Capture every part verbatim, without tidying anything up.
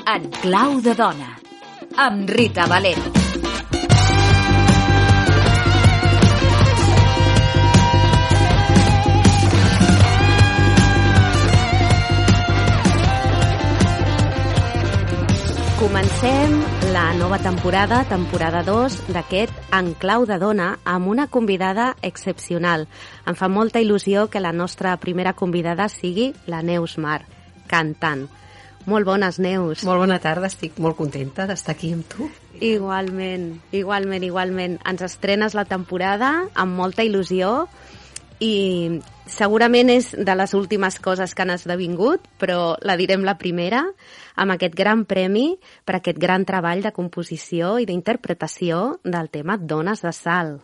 En clau de dona, amb Rita Valero. Comencem la nova temporada, temporada dos, d'aquest En clau de dona, amb una convidada excepcional. Em fa molta il·lusió que la nostra primera convidada sigui la Neus Mar, cantant. Molt bones, Neus. Molt bona tarda, estic molt contenta d'estar aquí amb tu. Igualment, igualment, igualment. Ens estrenes la temporada amb molta il·lusió i segurament és de les últimes coses que han esdevingut, però la direm la primera, amb aquest gran premi per aquest gran treball de composició i d'interpretació del tema Dones de Sal.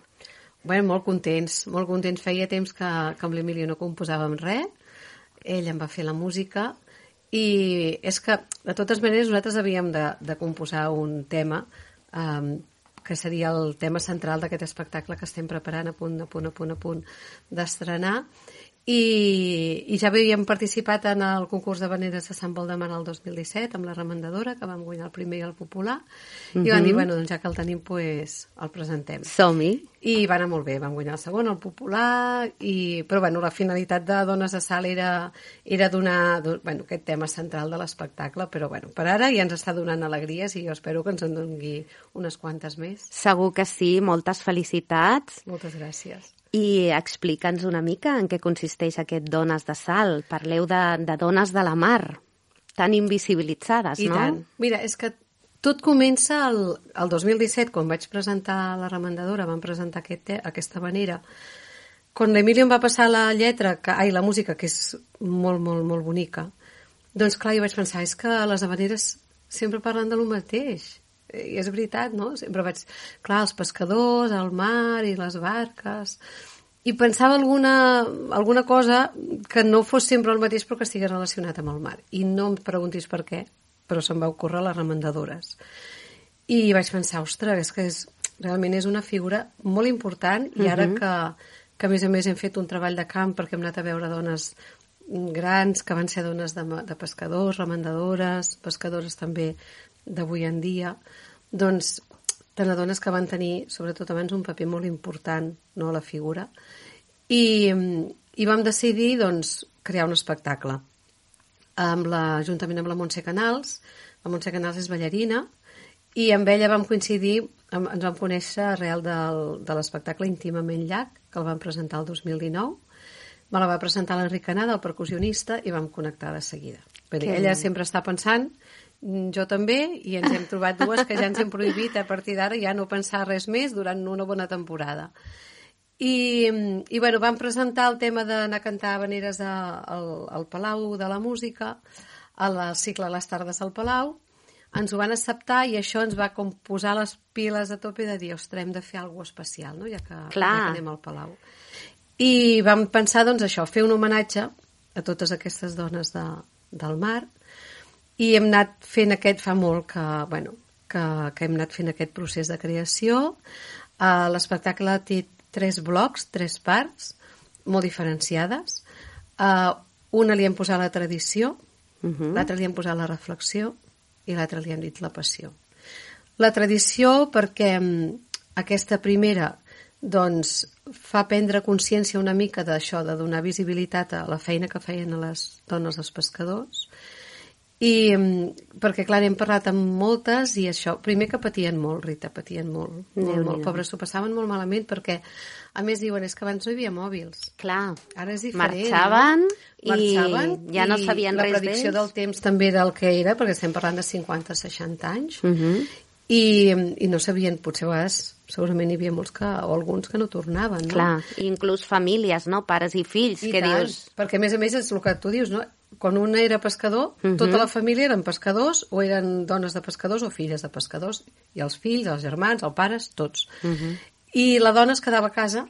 Bé, molt contents, molt contents. Feia temps que, que amb l'Emilio no composàvem res, ell em va fer la música i és que, de totes maneres, nosaltres havíem de, de composar un tema um, que seria el tema central d'aquest espectacle que estem preparant a punt, a punt, a punt, a punt d'estrenar. I, i ja havíem participat en el concurs de veneres de Sant Valdemar el dos mil disset amb la Remendadora, que vam guanyar el primer i el popular, uh-huh. i van dir, bueno, doncs ja que el tenim, pues, el presentem. Som-hi. I va anar molt bé, vam guanyar el segon, el popular, i... però bueno, la finalitat de Dones de Sal era, era donar bueno, aquest tema central de l'espectacle, però bueno, per ara ja ens està donant alegries i jo espero que ens en doni unes quantes més. Segur que sí, moltes felicitats. Moltes gràcies. I explica'ns una mica en què consisteix aquest Dones de Sal. Parleu de, de dones de la mar, tan invisibilitzades, I no? I tant. Mira, és que tot comença el, el dos mil disset, quan vaig presentar la Remendadora, vam presentar aquest, aquesta manera. Quan l'Emilio em va passar la lletra, que, ai, la música, que és molt, molt, molt bonica, doncs clar, jo vaig pensar, és que les havaneres sempre parlen de lo mateix. I és veritat, no? Sempre vaig... Clar, els pescadors, el mar i les barques... I pensava alguna, alguna cosa que no fos sempre el mateix però que estigués relacionat amb el mar. I no em preguntis per què, però se'm va ocórrer les remendadores. I vaig pensar, ostres, és que és, realment és una figura molt important i ara uh-huh. que, que a més a més hem fet un treball de camp perquè hem anat a veure dones grans que van ser dones de, de pescadors, remendadores, pescadores també d'avui en dia, doncs te n'adones que van tenir, sobretot abans, un paper molt important, no, a la figura, i, i vam decidir, doncs, crear un espectacle amb la, juntament amb la Montse Canals. La Montse Canals és ballarina i amb ella vam coincidir, ens vam conèixer arrel del, de l'espectacle Íntimament Llac, que el vam presentar el dos mil dinou. Me la va presentar l'Enric Canada, el percussionista, i vam connectar de seguida. Bé, ella sempre està pensant, jo també, i ens hem trobat dues que ja ens hem prohibit a partir d'ara ja no pensar res més durant una bona temporada. I, i bueno, vam presentar el tema d'anar a cantar habaneres a, al, al Palau de la Música, al cicle Les Tardes al Palau. Ens ho van acceptar i això ens va com posar les piles a tope de dir, ostres, hem de fer alguna cosa especial, no? ja, que, ja que anem al Palau. I vam pensar, doncs, això, fer un homenatge a totes aquestes dones de, del mar. I hem anat fent aquest, fa molt que, bueno, que, que hem anat fent aquest procés de creació. Uh, l'espectacle té tres blocs, tres parts, molt diferenciades. Uh, una li hem posat la tradició, uh-huh. l'altra li hem posat la reflexió i l'altra li hem dit la passió. La tradició perquè um, aquesta primera doncs, fa prendre consciència una mica d'això, de donar visibilitat a la feina que feien a les dones dels pescadors. I perquè, clar, hem parlat amb moltes i això, primer que patien molt, Rita, patien molt, molt, molt. Pobres, s'ho passaven molt malament perquè, a més, diuen, és que abans no hi havia mòbils. Clar, ara és diferent. Marxaven, no? Marxaven i ja no sabien res d'ells. La predicció del temps també del que era, perquè estem parlant de cinquanta a seixanta anys, uh-huh. i, i no sabien, potser a vegades, segurament hi havia molts que, o alguns que no tornaven, no? Clar, inclús famílies, no? Pares i fills, I que tant, dius... perquè a més a més és el que tu dius, no? Quan un era pescador, uh-huh. tota la família eren pescadors o eren dones de pescadors o filles de pescadors, i els fills, els germans, els pares, tots. Uh-huh. I la dona es quedava a casa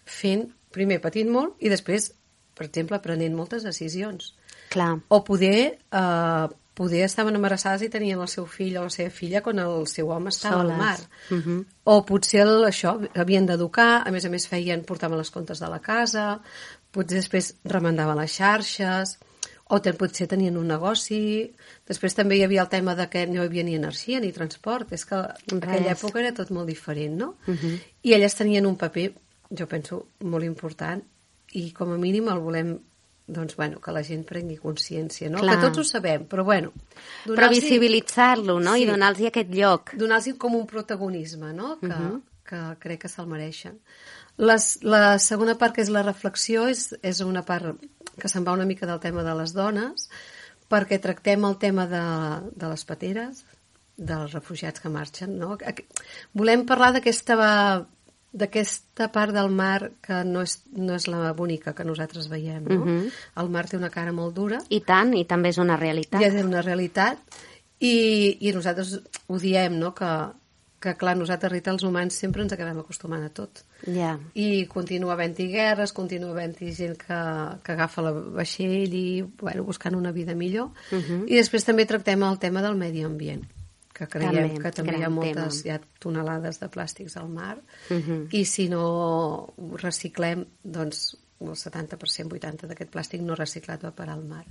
fent, primer patint molt i després, per exemple, prenent moltes decisions. Clar. O poder, eh, poder estaven embarassades i tenien el seu fill o la seva filla quan el seu home estava Soles. Al mar. Uh-huh. O potser el, això, havien d'educar, a més a més feien, portaven les comptes de la casa, potser després remendaven les xarxes, o ten, potser tenien un negoci. Després també hi havia el tema de que no hi havia ni energia ni transport, és que en aquella època era tot molt diferent, no? Uh-huh. I elles tenien un paper, jo penso, molt important, i com a mínim el volem, doncs, bueno, que la gent prengui consciència, no? Clar. Que tots ho sabem, però bueno... Però visibilitzar-lo, no? Sí, i donar-los aquest lloc. Donar-los com un protagonisme, no? Que, uh-huh. que crec que se'l mereixen. Les, la segona part, que és la reflexió, és, és una part que se'n va una mica del tema de les dones, perquè tractem el tema de, de les pateres, dels refugiats que marxen, no? Volem parlar d'aquesta d'aquesta part del mar que no és, no és la bonica que nosaltres veiem, no? Uh-huh. El mar té una cara molt dura. I tant, i també és una realitat. I és una realitat, i, i nosaltres ho diem, no?, que, que clar, nosaltres, Rita, els humans sempre ens acabem acostumant a tot. Yeah. I continua havent-hi guerres, continua havent-hi gent que, que agafa la vaixell i, bueno, buscant una vida millor. Uh-huh. I després també tractem el tema del medi ambient, que creiem també, que també hi ha moltes hi ha tonelades de plàstics al mar, uh-huh. i si no ho reciclem, doncs el setanta per cent, vuitanta per cent d'aquest plàstic no reciclat va parar al mar.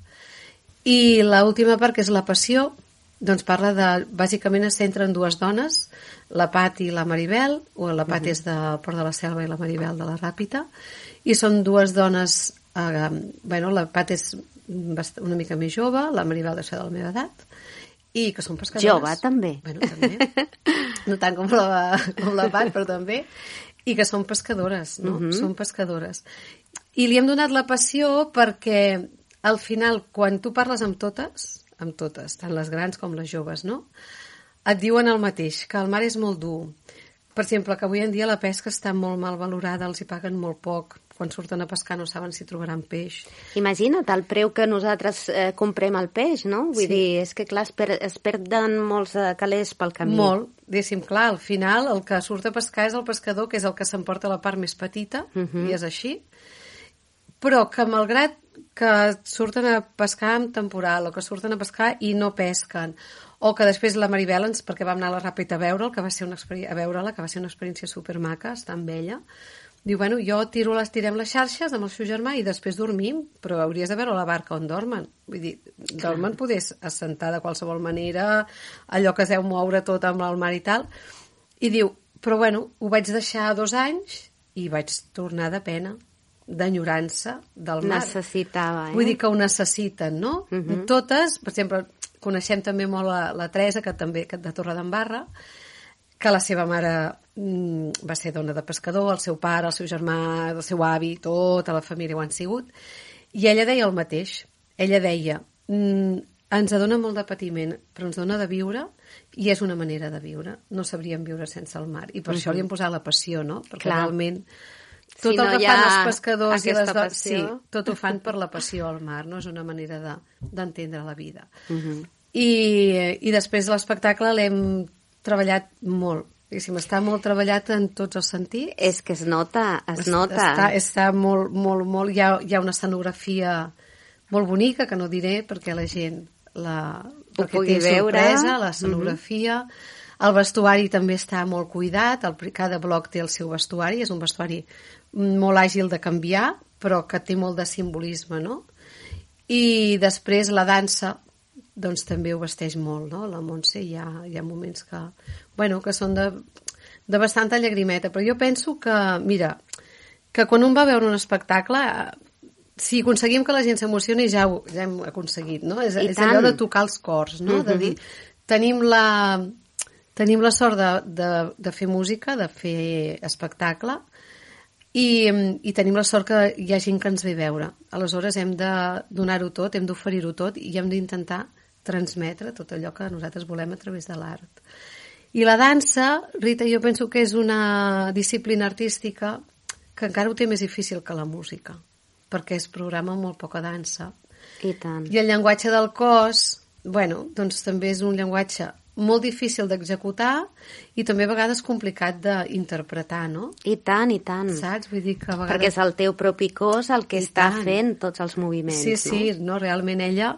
I l'última part, que és la passió, doncs parla de, bàsicament es centra en dues dones, la Pat i la Maribel, o la Pat uh-huh. és de Port de la Selva i la Maribel de la Ràpita, i són dues dones, eh, bueno, la Pat és una mica més jove, la Maribel deu ser de la meva edat, i que són pescadores. Jove, també. Bueno, també. No tant com la, com la Pat, però també. I que són pescadores, no? Uh-huh. Són pescadores. I li hem donat la passió perquè, al final, quan tu parles amb totes, amb totes, tant les grans com les joves, no?, et diuen el mateix, que el mar és molt dur. Per exemple, que avui en dia la pesca està molt mal valorada, els hi paguen molt poc, quan surten a pescar no saben si trobaran peix. Imagina't el preu que nosaltres eh, comprem el peix, no? Vull sí. dir, és que clar, es, per, es perden molts eh, calés pel camí. Molt, diguéssim, clar, al final el que surt a pescar és el pescador, que és el que s'emporta la part més petita, uh-huh. i és així, però que malgrat que surten a pescar en temporal, o que surten a pescar i no pesquen, o que després la Maribel, ens, perquè vam anar a la Ràpita a veure'l, que va ser una a veure-la, que va ser una experiència supermaca, estar amb ella, diu, bueno, jo tiro les, tirem les xarxes amb el seu germà i després dormim, però hauries de veure la barca on dormen. Vull dir, dormen poder assentar de qualsevol manera, allò que es deu moure tot amb el mar i tal. I diu, però bueno, ho vaig deixar dos anys i vaig tornar de pena, d'enyorança del mar. Necessitava, eh? Vull dir que ho necessiten, no? Uh-huh. Totes, per exemple, coneixem també molt la, la Teresa, que també que de Torredembarra, que la seva mare mm, va ser dona de pescador, el seu pare, el seu germà, el seu avi, tota la família ho han sigut, i ella deia el mateix. Ella deia, mm, ens dona molt de patiment, però ens dona de viure, i és una manera de viure. No sabríem viure sense el mar, i per uh-huh. això li hem posat la passió, no? Perquè clar, realment tot si el no que fan els pescadors i les dones, sí, tot ho fan per la passió al mar, no? És una manera de, d'entendre la vida. Uh-huh. I, i després l'espectacle l'hem treballat molt, diguéssim, està molt treballat en tots els sentits. És que es nota, es, es nota. Està, està molt, molt, molt... Hi ha, hi ha una escenografia molt bonica, que no diré, perquè la gent la... Ho pugui té veure. Sorpresa, l'escenografia. Mm-hmm. El vestuari també està molt cuidat, el, cada bloc té el seu vestuari, és un vestuari molt àgil de canviar, però que té molt de simbolisme, no? I després la dansa, doncs també ho vesteix molt, no? La Montse hi ha, hi ha moments que, bueno, que són de, de bastanta llagrimeta, però jo penso que, mira, que quan un va veure un espectacle, si aconseguim que la gent s'emocioni, ja, ho, ja hem aconseguit, no? És, és allò de tocar els cors, no? Uh-huh. De dir, tenim la, tenim la sort de, de, de fer música, de fer espectacle, i, i tenim la sort que hi ha gent que ens ve veure. Aleshores hem de donar-ho tot, hem d'oferir-ho tot i hem d'intentar transmetre tot allò que nosaltres volem a través de l'art. I la dansa, Rita, jo penso que és una disciplina artística que encara ho té més difícil que la música, perquè es programa molt poca dansa. I tant. I el llenguatge del cos, bueno, doncs també és un llenguatge molt difícil d'executar i també a vegades complicat d'interpretar, no? I tant, i tant. Saps? Vull dir que a vegades... Perquè és el teu propi cos el que I està tant. Fent tots els moviments, sí, no? Sí, sí, no? Realment ella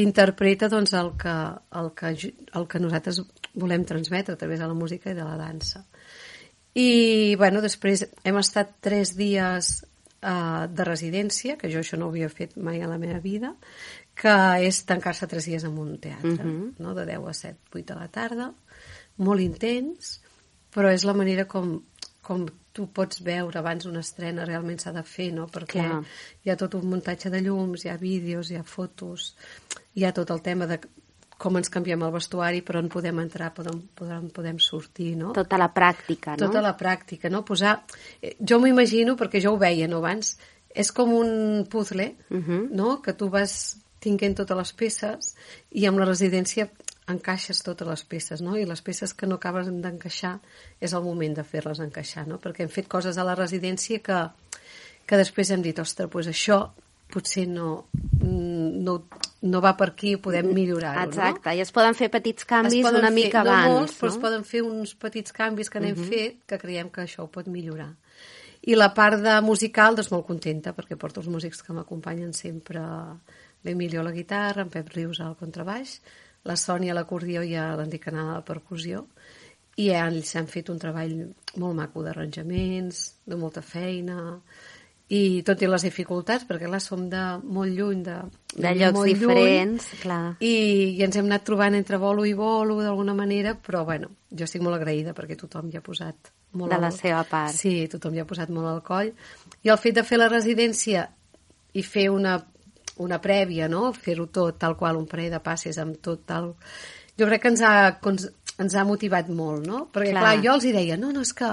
interpreta doncs, el, que, el, que, el que nosaltres volem transmetre a través de la música i de la dansa. I, bueno, després hem estat tres dies uh, de residència, que jo això no ho havia fet mai a la meva vida, que és tancar-se tres dies en un teatre, uh-huh. no? De deu a set, vuit de la tarda, molt intens, però és la manera com, com tu pots veure abans una estrena realment s'ha de fer, no? Perquè Clar. Hi ha tot un muntatge de llums, hi ha vídeos, hi ha fotos, hi ha tot el tema de com ens canviem el vestuari, per on podem entrar, per on podem, podem sortir, no? Tota la pràctica, no? Tota la pràctica, no? Posar... Jo m'ho imagino, perquè jo ho veia, no, abans, és com un puzzle, uh-huh. no? Que tu vas tinguent totes les peces i amb la residència encaixes totes les peces, no? I les peces que no acabes d'encaixar és el moment de fer-les encaixar, no? Perquè hem fet coses a la residència que, que després hem dit, ostres, doncs això potser no, no, no va per aquí, podem millorar-ho, Exacte, no? I es poden fer petits canvis una fer, mica no abans, molts, no? però es poden fer uns petits canvis que n'hem uh-huh. fet que creiem que això ho pot millorar. I la part de musical, doncs molt contenta, perquè porto els músics que m'acompanyen sempre, l'Emilio a la guitarra, en Pep Rius al contrabaix, la Sònia a l'acordió i l'Enric Canal a la percussió, i ells han fet un treball molt maco d'arranjaments, de molta feina, i tot i les dificultats, perquè clar, som de molt lluny, de, de, de llocs diferents, lluny, clar. I, i ens hem anat trobant entre bolo i bolo d'alguna manera, però bueno, jo estic molt agraïda perquè tothom hi ha posat molt de la al... seva part. Sí, tothom hi ha posat molt al coll. I el fet de fer la residència i fer una, una prèvia, no? Fer-ho tot tal qual, un parell de passes amb tot tal... Jo crec que ens ha, ens ha motivat molt, no? Perquè clar, clar jo els hi deia, no, no, és que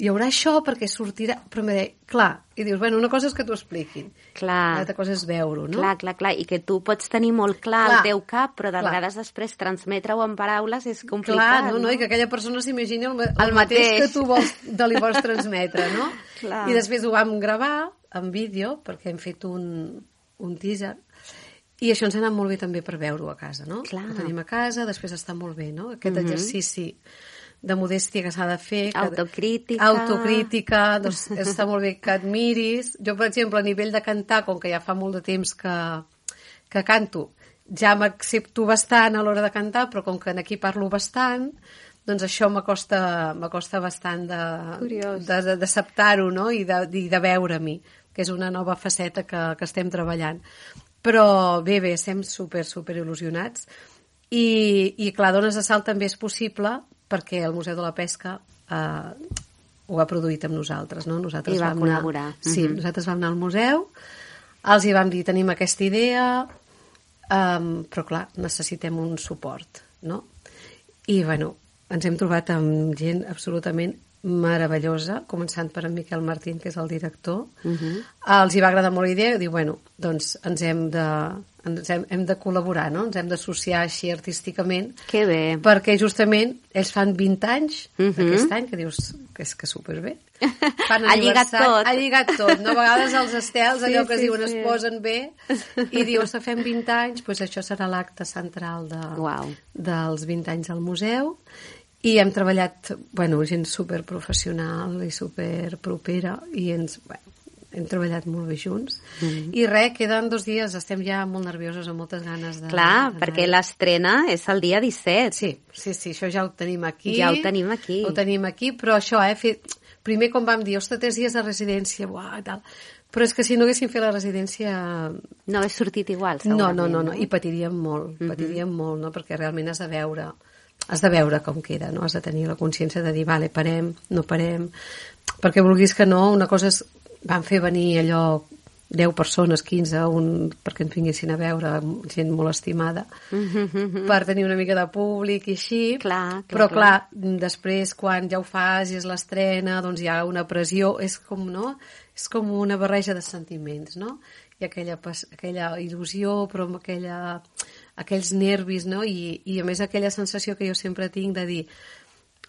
hi haurà això perquè sortirà... Però em deia, clar, i dius, bueno, una cosa és que t'ho expliquin, clar. l'altra cosa és veure-ho, no? Clar, clar, clar, i que tu pots tenir molt clar, clar. el teu cap, però de clar. vegades després transmetre-ho en paraules és complicat, clar, no, no? no? I que aquella persona s'imagini el, el, el mateix. mateix que tu vols, de li vols transmetre, no? Clar. I després ho vam gravar en vídeo, perquè hem fet un, un teaser, i això ens ha anat molt bé també per veure-ho a casa, no? Clar. Ho tenim a casa, després està molt bé, no? Aquest mm-hmm. exercici de modèstia que s'ha de fer. Que, autocrítica. Autocrítica, doncs està molt bé que et miris. Jo, per exemple, a nivell de cantar, com que ja fa molt de temps que, que canto, ja m'accepto bastant a l'hora de cantar, però com que aquí parlo bastant, doncs això m'acosta m'acosta bastant d'acceptar-ho, no? I de, i de veure-m'hi, que és una nova faceta que, que estem treballant. Però bé, bé, estem super, super il·lusionats. I, i clar, Dones de Salt també és possible perquè el Museu de la Pesca eh, ho ha produït amb nosaltres, no? Nosaltres I va vam col·laborar. Anar, sí, uh-huh. nosaltres vam anar al museu, els hi vam dir, tenim aquesta idea, um, però clar, necessitem un suport, no? I, bueno, ens hem trobat amb gent absolutament meravellosa, començant per en Miquel Martín, que és el director. Uh-huh. Els hi va agradar molt la idea, i diu, bueno, doncs ens hem de, ens hem, hem de col·laborar, no? Ens hem d'associar així artísticament. Que bé. Perquè justament ells fan vint anys uh-huh. aquest any, que dius que és que superbé. Fan ha lligat tot. Ha lligat tot. No? A vegades els estels, allò sí, que es sí, diuen, sí. es posen bé, i dius, que fem vint anys, doncs això serà l'acte central de, wow. dels vint anys al museu. I hem treballat, bueno, gent superprofessional i superpropera, i ens, bueno, hem treballat molt bé junts. Mm-hmm. I res, queden dos dies, estem ja molt nervioses, amb moltes ganes de... Clar, perquè l'estrena és el dia disset. Sí, sí, sí, això ja ho tenim aquí. Ja ho tenim aquí. Ho tenim aquí, però això, eh, fet... primer com vam dir, ostres, tres dies de residència, uah, tal... Però és que si no haguéssim fet la residència... No hagués sortit igual, No, segurament. no, no, no. I patiríem molt, mm-hmm. patiríem molt, no? Perquè realment has de veure... has de veure com queda, no? Has de tenir la consciència de dir, vale, parem, no parem, perquè vulguis que no, una cosa és, van fer venir allò deu persones, quinze, un, perquè ens vinguessin a veure, gent molt estimada, mm-hmm. per tenir una mica de públic i així, clar, clar, però clar, clar, després quan ja ho fas i és l'estrena, doncs hi ha una pressió, és com, no? És com una barreja de sentiments, no? I aquella, aquella il·lusió, però amb aquella... aquells nervis, no? I, i a més aquella sensació que jo sempre tinc de dir,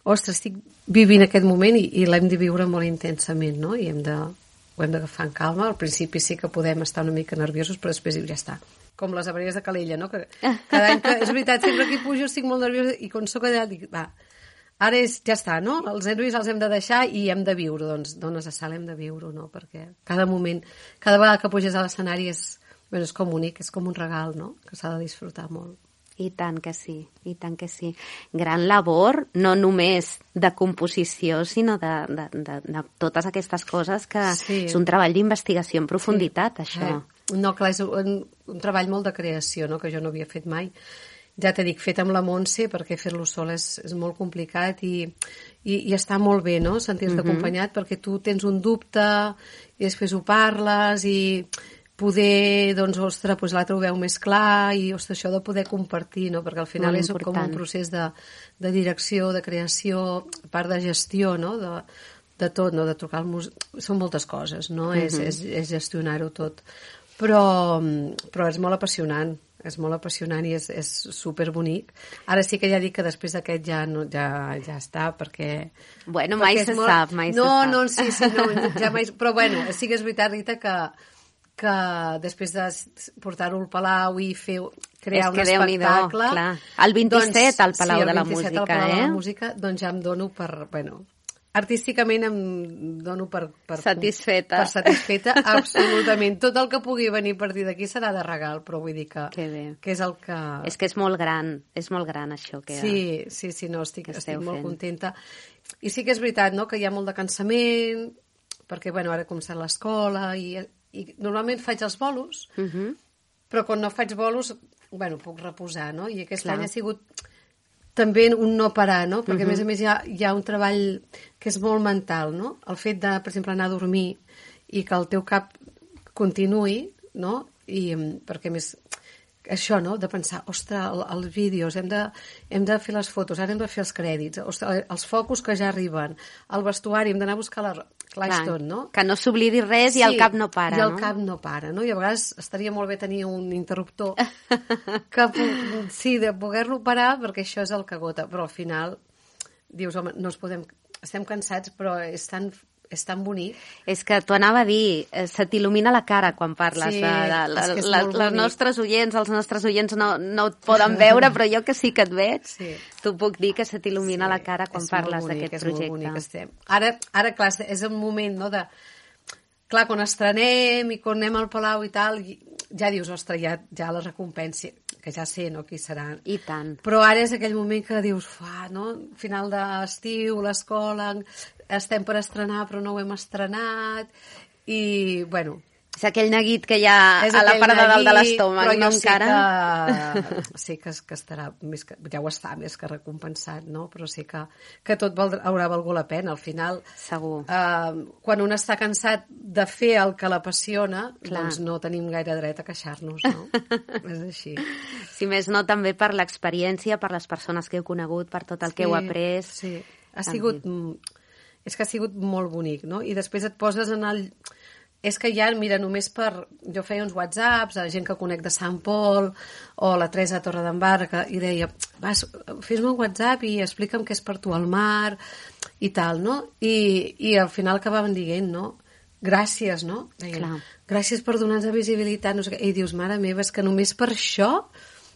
ostres, estic vivint aquest moment i, i l'hem de viure molt intensament, no? I hem de, ho hem d'agafar en calma. Al principi sí que podem estar una mica nerviosos, però després ja està. Com les abelles de Calella, no? Que cada any que, és veritat, sempre que hi pujo estic molt nerviosa i quan soc allà dic, va, ara és, ja està, no? Els nervis els hem de deixar i hem de viure, doncs, Dones de Salt hem de viure, no? Perquè cada moment, cada vegada que puges a l'escenari és... Bueno, és com únic, és com un regal, no? Que s'ha de disfrutar molt. I tant que sí, i tant que sí. Gran labor, no només de composició, sinó de, de, de, de totes aquestes coses que sí. És un treball d'investigació en profunditat, sí. Això. Eh. No, clar, és un, un treball molt de creació, no?, que jo no havia fet mai. Ja t'he dit, fet amb la Montse, perquè fer-lo sol és, és molt complicat i, i, i està molt bé, no?, sentir-te uh-huh. acompanyat, perquè tu tens un dubte i després ho parles i poder, doncs, ostres, doncs l'altre ho veu més clar i, ostres, això de poder compartir, no?, perquè al final és com un procés de, de direcció, de creació, part de gestió, no?, de, de tot, no?, de trucar al músic, són moltes coses, no?, uh-huh. és, és, és gestionar-ho tot, però, però és molt apassionant, és molt apassionant i és, és superbonic. Ara sí que ja dic que després d'aquest ja, no, ja, ja està, perquè... Bueno, mai se molt... sap, mai no, se sap. No, sí, sí, no, ja mai... Però bueno, sí que és veritat, Rita, que que després de portar-ho al Palau i fer, crear un espectacle... Clar. El vint-i-set doncs, al Palau sí, de la Música, al Palau eh? de la Música, doncs ja em dono per... Bueno, artísticament em dono per... per satisfeta. Per satisfeta, absolutament. Tot el que pugui venir a partir d'aquí serà de regal, però vull dir que, que és el que... És que és molt gran, és molt gran això que... Sí, sí, sí, no, estic, estic molt fent. Contenta. I sí que és veritat, no?, que hi ha molt de cansament, perquè, bueno, ara he començat l'escola i... i normalment faig els bolos, uh-huh. però quan no faig bolos, bueno, puc reposar, no? I aquest Clar. Any ha sigut també un no parar, no? Perquè, uh-huh. a més a més, hi ha, hi ha un treball que és molt mental, no? El fet de, per exemple, anar a dormir i que el teu cap continuï, no? I, perquè, més, això, no?, de pensar, ostres, el, els vídeos, hem de, hem de fer les fotos, ara hem de fer els crèdits, ostres, els focus que ja arriben, el vestuari, hem d'anar a buscar la... Clar, Clar, tot, no? Que no s'oblidi res i sí, el cap no para, i el no? cap no para, no? I a vegades estaria molt bé tenir un interruptor que, sí, de poder-lo parar, perquè això és el que gota, però al final dius, home, no es podem... Estem cansats, però és tan... és tan bonic. És que t'ho anava a dir, se t'il·lumina la cara quan parles. Sí, de, de, la, és que és la, molt les nostres oients, els nostres oients no, no et poden veure, però jo que sí que et veig, sí. T'ho puc dir que se t'il·lumina sí, la cara quan parles d'aquest projecte. És molt bonic, estem. Ara, ara, clar, és un moment, no?, de... Clar, quan estrenem i quan anem al Palau i tal, ja dius, ostres, ja, ja la recompensa, que ja sé, no?, qui serà. I tant. Però ara és aquell moment que dius, fa, no?, final d'estiu, l'escola, estem per estrenar però no ho hem estrenat i, bueno... És aquell neguit que hi ha a la part de dalt de l'estómac, no encara? Però jo sé que, que estarà, més que, ja ho està més que recompensat, no? Però sé que, que tot val, haurà valgut la pena. Al final, segur. Eh, quan un està cansat de fer el que l'apassiona, doncs no tenim gaire dret a queixar-nos, no? És així. Si més no, també per l'experiència, per les persones que heu conegut, per tot el sí, que heu après. Sí, ha sigut... És que ha sigut molt bonic, no? I després et poses en el... És que ja, mira, només per... Jo feia uns whatsapps a gent que conec de Sant Pol o la Teresa Torredembarra i deia, vas, fes-me un whatsapp i explica'm què és per tu al mar i tal, no? I, i al final acabaven dient, no? Gràcies, no? Deien, Clar. Gràcies per donar-nos visibilitat. No sé què. I dius, mare meva, és que només per això...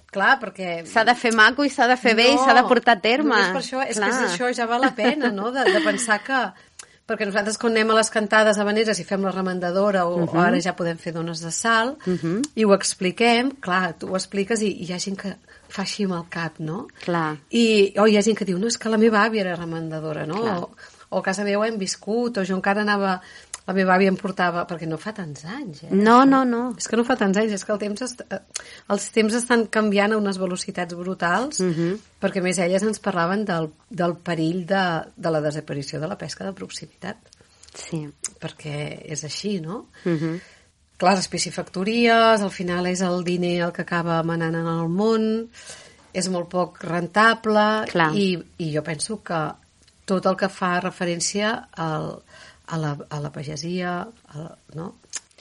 Clar, perquè... S'ha de fer maco i s'ha de fer no, bé i s'ha de portar a terme. No, per això, és Clar. Que és això ja val la pena, no?, de, de pensar que... Perquè nosaltres quan anem a les cantades habaneres i fem la remandadora o, uh-huh. o ara ja podem fer dones de sal uh-huh. i ho expliquem, clar, tu ho expliques i, i hi ha gent que fa així amb el cap, no? Clar. I, o hi ha gent que diu, no, és que la meva àvia era remandadora, no? O, o a casa meva hem viscut, o jo encara anava... La meva àvia em portava... Perquè no fa tants anys, eh? No, no, no. És que no fa tants anys, és que el temps est... els temps estan canviant a unes velocitats brutals, uh-huh. perquè més elles ens parlaven del, del perill de, de la desaparició de la pesca de proximitat. Sí. Perquè és així, no? Uh-huh. Clar, les piscifactories, al final és el diner el que acaba manant en el món, és molt poc rentable, i, i jo penso que tot el que fa referència al... A la, a la pagesia, a la, no?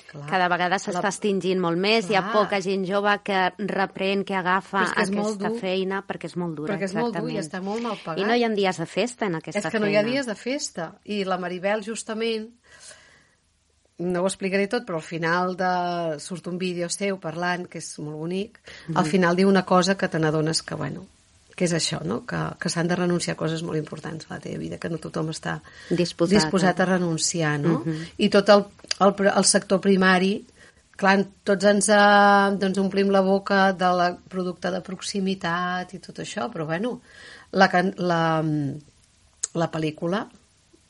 Clar. Cada vegada s'està la... extingint molt més, Clar. Hi ha poca gent jove que reprèn, que agafa que aquesta feina, perquè és molt dura. Perquè és exactament. molt dur i està molt mal pagat. I no hi ha dies de festa en aquesta feina. És que no hi ha dies de festa. I la Maribel, justament, no ho explicaré tot, però al final de... surt un vídeo seu parlant, que és molt bonic, mm-hmm. al final diu una cosa que te n'adones que, bueno, que és això, no? que, que s'han de renunciar a coses molt importants a la teva vida, que no tothom està disposat, disposat a renunciar, no? Uh-huh. I tot el, el, el sector primari, clar, tots ens, eh, doncs omplim la boca de la producte de proximitat i tot això, però bueno, la, la, la pel·lícula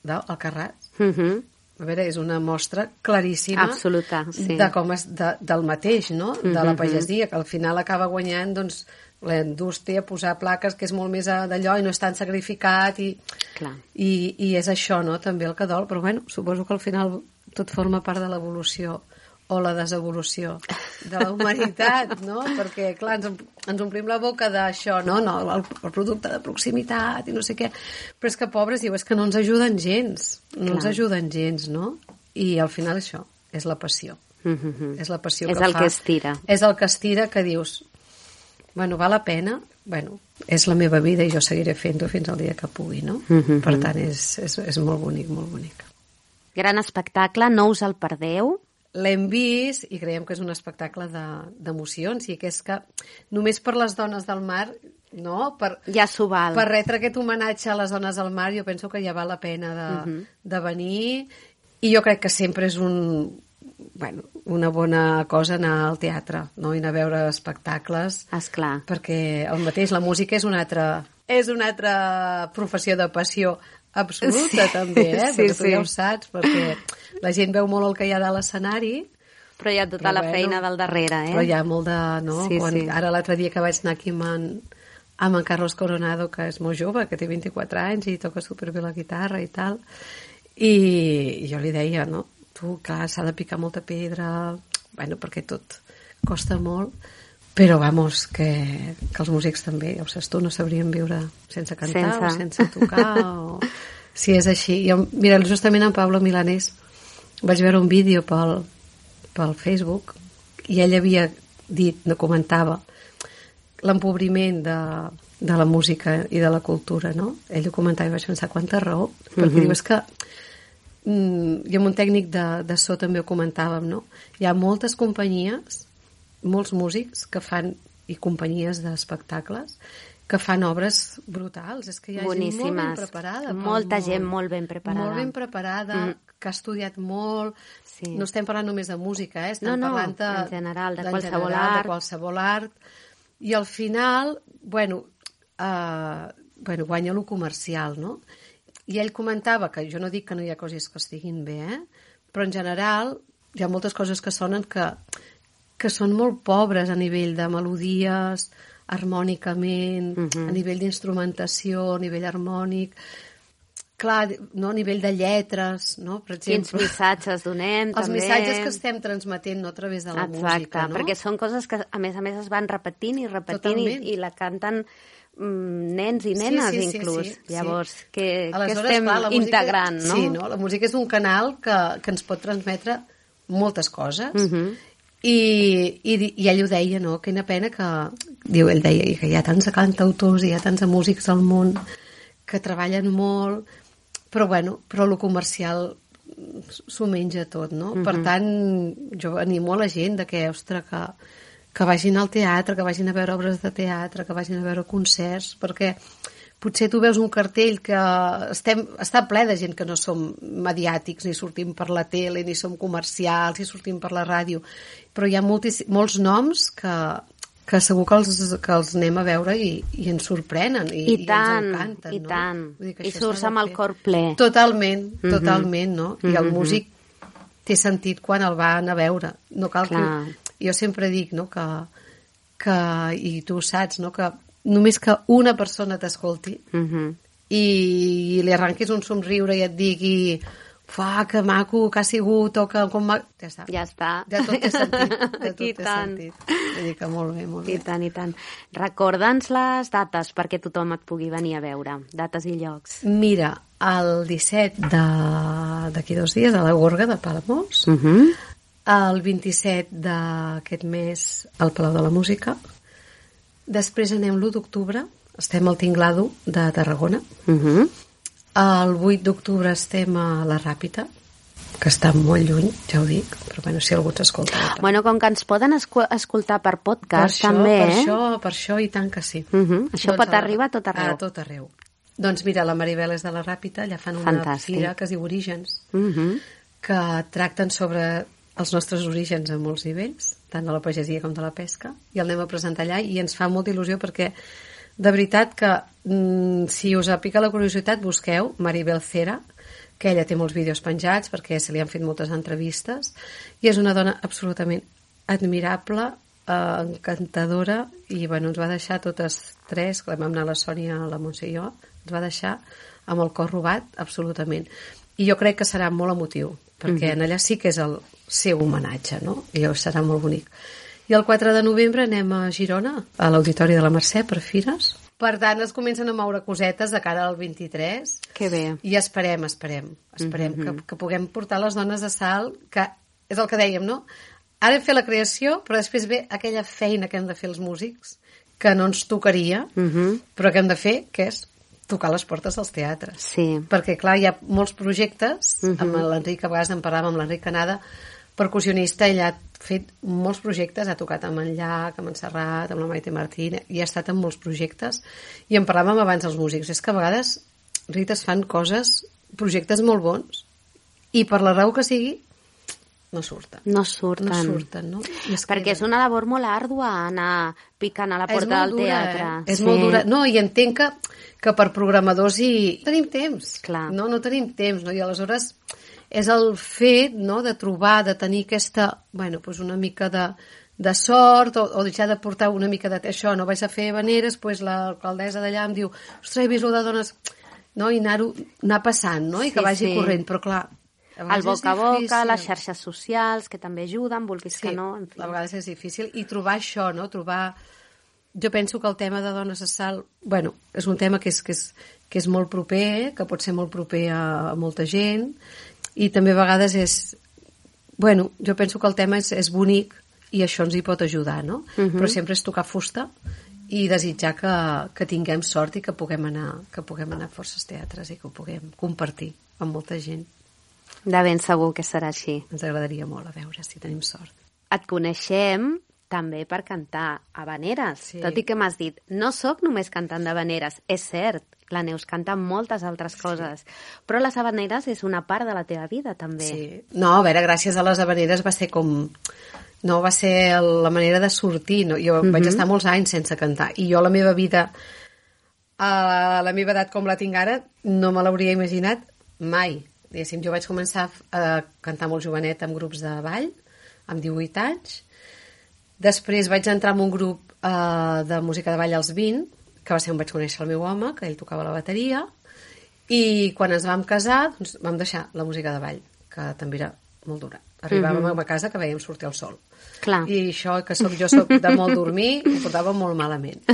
d'Alcarràs, Uh-huh. a veure, és una mostra claríssima Absoluta, sí. de com és de, del mateix, no? De la pagesia, que al final acaba guanyant doncs, la indústria, posar plaques, que és molt més d'allò i no és tan sacrificat i, Clar. i, i és això, no? També el que dol, però bueno, suposo que al final tot forma part de l'evolució o la desevolució de la humanitat, no? Perquè, clar, ens, ens omplim la boca d'això, no? No, el, el producte de proximitat i no sé què, però és que, pobres, diu, és que no ens ajuden gens, no Clar. ens ajuden gens, no? I al final això és la passió. Uh-huh. És la passió És que el fa. que estira. És el que estira, que dius, bueno, val la pena, bueno, és la meva vida i jo seguiré fent-ho fins al dia que pugui, no? Uh-huh. Per tant, és, és, és molt bonic, molt bonic. Gran espectacle, no us el perdeu. L'hem vist i creiem que és un espectacle d'emocions de, i que és que només per les dones del mar, no? Per, Ja s'ho val. per retre aquest homenatge a les dones del mar, jo penso que ja val la pena de, Uh-huh. de venir, i jo crec que sempre és un, bueno, una bona cosa anar al teatre, no? I anar a veure espectacles, Esclar. perquè el mateix, la música és una altra, és una altra professió de passió absoluta, Sí. també, eh? Sí, Perquè tu sí. ja ho saps, perquè la gent veu molt el que hi ha de l'escenari, Però hi ha tota Però la bueno, feina del darrere, eh? però hi ha molt de... No? Sí, Quan, sí. Ara l'altre dia que vaig anar aquí amb en, amb en Carlos Coronado, que és molt jove, que té vint-i-quatre anys i toca superbé la guitarra i tal, i, i jo li deia, no? Tu, clar, s'ha de picar molta pedra, bueno, perquè tot costa molt, però, vamos, que, que els músics també, ja ho saps tu, no sabrien viure sense cantar Sense. o sense tocar, o... si és així. Jo, mira, justament en Pablo Milanés vaig veure un vídeo pel, pel Facebook i ell havia dit, no comentava, l'empobriment de, de la música i de la cultura, no? Ell ho comentava i vaig pensar, quanta raó, perquè Mhm. diu, és que mm, i amb un tècnic de, de so també ho comentàvem, no? Hi ha moltes companyies, molts músics que fan, i companyies d'espectacles, que fan obres brutals. És que hi ha gent molt ben Boníssimes. preparada. pel Molta món. gent molt ben preparada. Molt ben preparada, Mm. que ha estudiat molt. Sí. No estem parlant només de música, eh? Estem No, no, parlant de, en general, de d'en qualsevol general, art. de qualsevol art. I al final, bueno, eh, bueno, guanya lo comercial, no? I ell comentava, que jo no dic que no hi ha coses que estiguin bé, eh? Però en general hi ha moltes coses que sonen que, que són molt pobres a nivell de melodies, harmònicament, Mhm. a nivell d'instrumentació, a nivell harmònic, clar, no? A nivell de lletres, no? Per Quins exemple, missatges donem, els també. missatges que estem transmetent, no a través de la Exacte, música, no? perquè són coses que a més a més es van repetint i repetint i, Totalment. i la canten mm, nens i Sí, nenes sí, sí, inclús. sí, sí. Llavors, que, que Aleshores, estem clar, la música- integrant, no? Sí, no? La música és un canal que, que ens pot transmetre moltes coses. Mhm. I, i, i ell ho deia, no? Quina pena que... Diu, ell deia que hi ha tants cantautors i hi ha tants músics al món que treballen molt, però bueno, però lo comercial s'ho menja tot, no? Mhm. Per tant, jo animo a la gent de que, ostres, que, que vagin al teatre, que vagin a veure obres de teatre, que vagin a veure concerts, perquè potser tu veus un cartell que estem, està ple de gent que no som mediàtics, ni sortim per la tele, ni som comercials, ni sortim per la ràdio, però hi ha moltis, molts noms que, que segur que els, que els anem a veure i, i ens sorprenen i, I tant, ens encanten, i no? tant. Vull dir que I això surts s'ha de amb el fer. cor ple. Totalment, Mhm. totalment, no? I el Mhm. músic té sentit quan el va anar a veure. No cal Clar. que... Jo sempre dic, no?, que, que... I tu ho saps, no?, que només que una persona t'escolti Mhm. i li arranquis un somriure i et digui fa, que maco, que ha sigut, o que... Com ma... Ja està. Ja està. Ja tot té sentit. Ja tot I té tant. sentit. Vull dir que molt bé, molt bé. I tant, i tant. Recorda'ns les dates perquè tothom et pugui venir a veure. Dates i llocs. Mira, el disset de- d'aquí dos dies a la Gorga de Palamós, Mhm. el vint-i-set d'aquest mes al Palau de la Música. Després anem l'u d'octubre, estem al Tinglado de Tarragona. Mhm. El vuit d'octubre estem a la Ràpita, que està molt lluny, ja ho dic, però bueno, si algú s'escolta. Bueno, com que ens poden escu- escoltar per per podcast, això, també, per eh? això, per això i tant que sí. Mhm. Això pot a la- arribar a tot arreu. A tot arreu. Doncs mira, la Maribel és de la Ràpita, allà fan una Fantàstic. fira que es diu Orígens, Mhm. que tracten sobre els nostres orígens a molts nivells, tant de la pagesia com de la pesca, i el anem a presentar allà i ens fa molta il·lusió perquè de veritat que mm, si us pica la curiositat busqueu Maribel Cera, que ella té molts vídeos penjats perquè se li han fet moltes entrevistes i és una dona absolutament admirable, eh, encantadora i bueno, ens va deixar totes tres, que vam anar la Sònia, la Montse i jo, ens va deixar amb el cor robat absolutament i jo crec que serà molt emotiu perquè mm-hmm. en allà sí que és el seu homenatge, no? I serà molt bonic. I el quatre de novembre anem a Girona, a l'Auditori de la Mercè, per fires. Per tant, es comencen a moure cosetes de cara al vint-i-tres. Que bé. I esperem, esperem, esperem mm-hmm. que, que puguem portar les dones a Salt, que és el que dèiem, no? Ara hem fet la creació, però després ve aquella feina que hem de fer els músics, que no ens tocaria, mm-hmm. però que hem de fer, que és tocar les portes dels teatres. Sí. Perquè, clar, hi ha molts projectes, mm-hmm. amb l'Enric, a vegades en parlàvem amb l'Enric Canada, percussionista, ell ha fet molts projectes, ha tocat amb en Llach, amb en Serrat, amb la Maite Martín, i ha estat en molts projectes, i en parlàvem abans els músics. És que a vegades, Rita, es fan coses, projectes molt bons, i per la raó que sigui, no surten. No surten. No surten, no? És perquè és una labor molt àrdua anar picant a la porta del dura, teatre. Eh? És sí. molt dura. No, i entenc que, que per programadors hi tenim temps. Clar. No, no tenim temps, no? I aleshores és el fet, no?, de trobar, de tenir aquesta, bueno, doncs una mica de, de sort, o, o deixar de portar una mica de... Això, no vaig a fer habaneres, doncs l'alcaldessa d'allà em diu, ostres, he vist lo de dones... No? I anar, anar passant, no? I que sí, vagi sí. corrent, però clar... El boca a boca, les xarxes socials, que també ajuden, vulguis sí, que no... En fi. A vegades és difícil. I trobar això, no?, trobar... Jo penso que el tema de dones a Salt, bueno, és un tema que és, que és, que és molt proper, que pot ser molt proper a, a molta gent, i també a vegades és... Bueno, jo penso que el tema és, és bonic i això ens hi pot ajudar, no? Uh-huh. Però sempre és tocar fusta i desitjar que, que tinguem sort i que puguem anar que puguem anar a forces teatres i que ho puguem compartir amb molta gent. De ben segur que serà així. Ens agradaria molt a veure si tenim sort. Et coneixem també per cantar habaneres, sí. Tot i que m'has dit, no sóc només cantant d'habaneres, és cert, la Neus canta moltes altres coses, sí. Però les habaneres és una part de la teva vida, també. Sí. No, a veure, gràcies a les habaneres va ser com... No, va ser la manera de sortir. No? Jo mm-hmm. vaig estar molts anys sense cantar, i jo la meva vida, a la meva edat com la tinc ara, no me l'hauria imaginat mai. Diguéssim, jo vaig començar a cantar molt jovenet en grups de ball, amb divuit anys. Després vaig entrar en un grup eh, de música de ball als vint, que va ser on vaig conèixer el meu home, que ell tocava la bateria, i quan ens vam casar doncs, vam deixar la música de ball, que també era molt dura. Arribàvem mm-hmm. a casa que veiem sortir el sol. Clar. I això, que soc, jo soc de molt dormir, ho portava molt malament.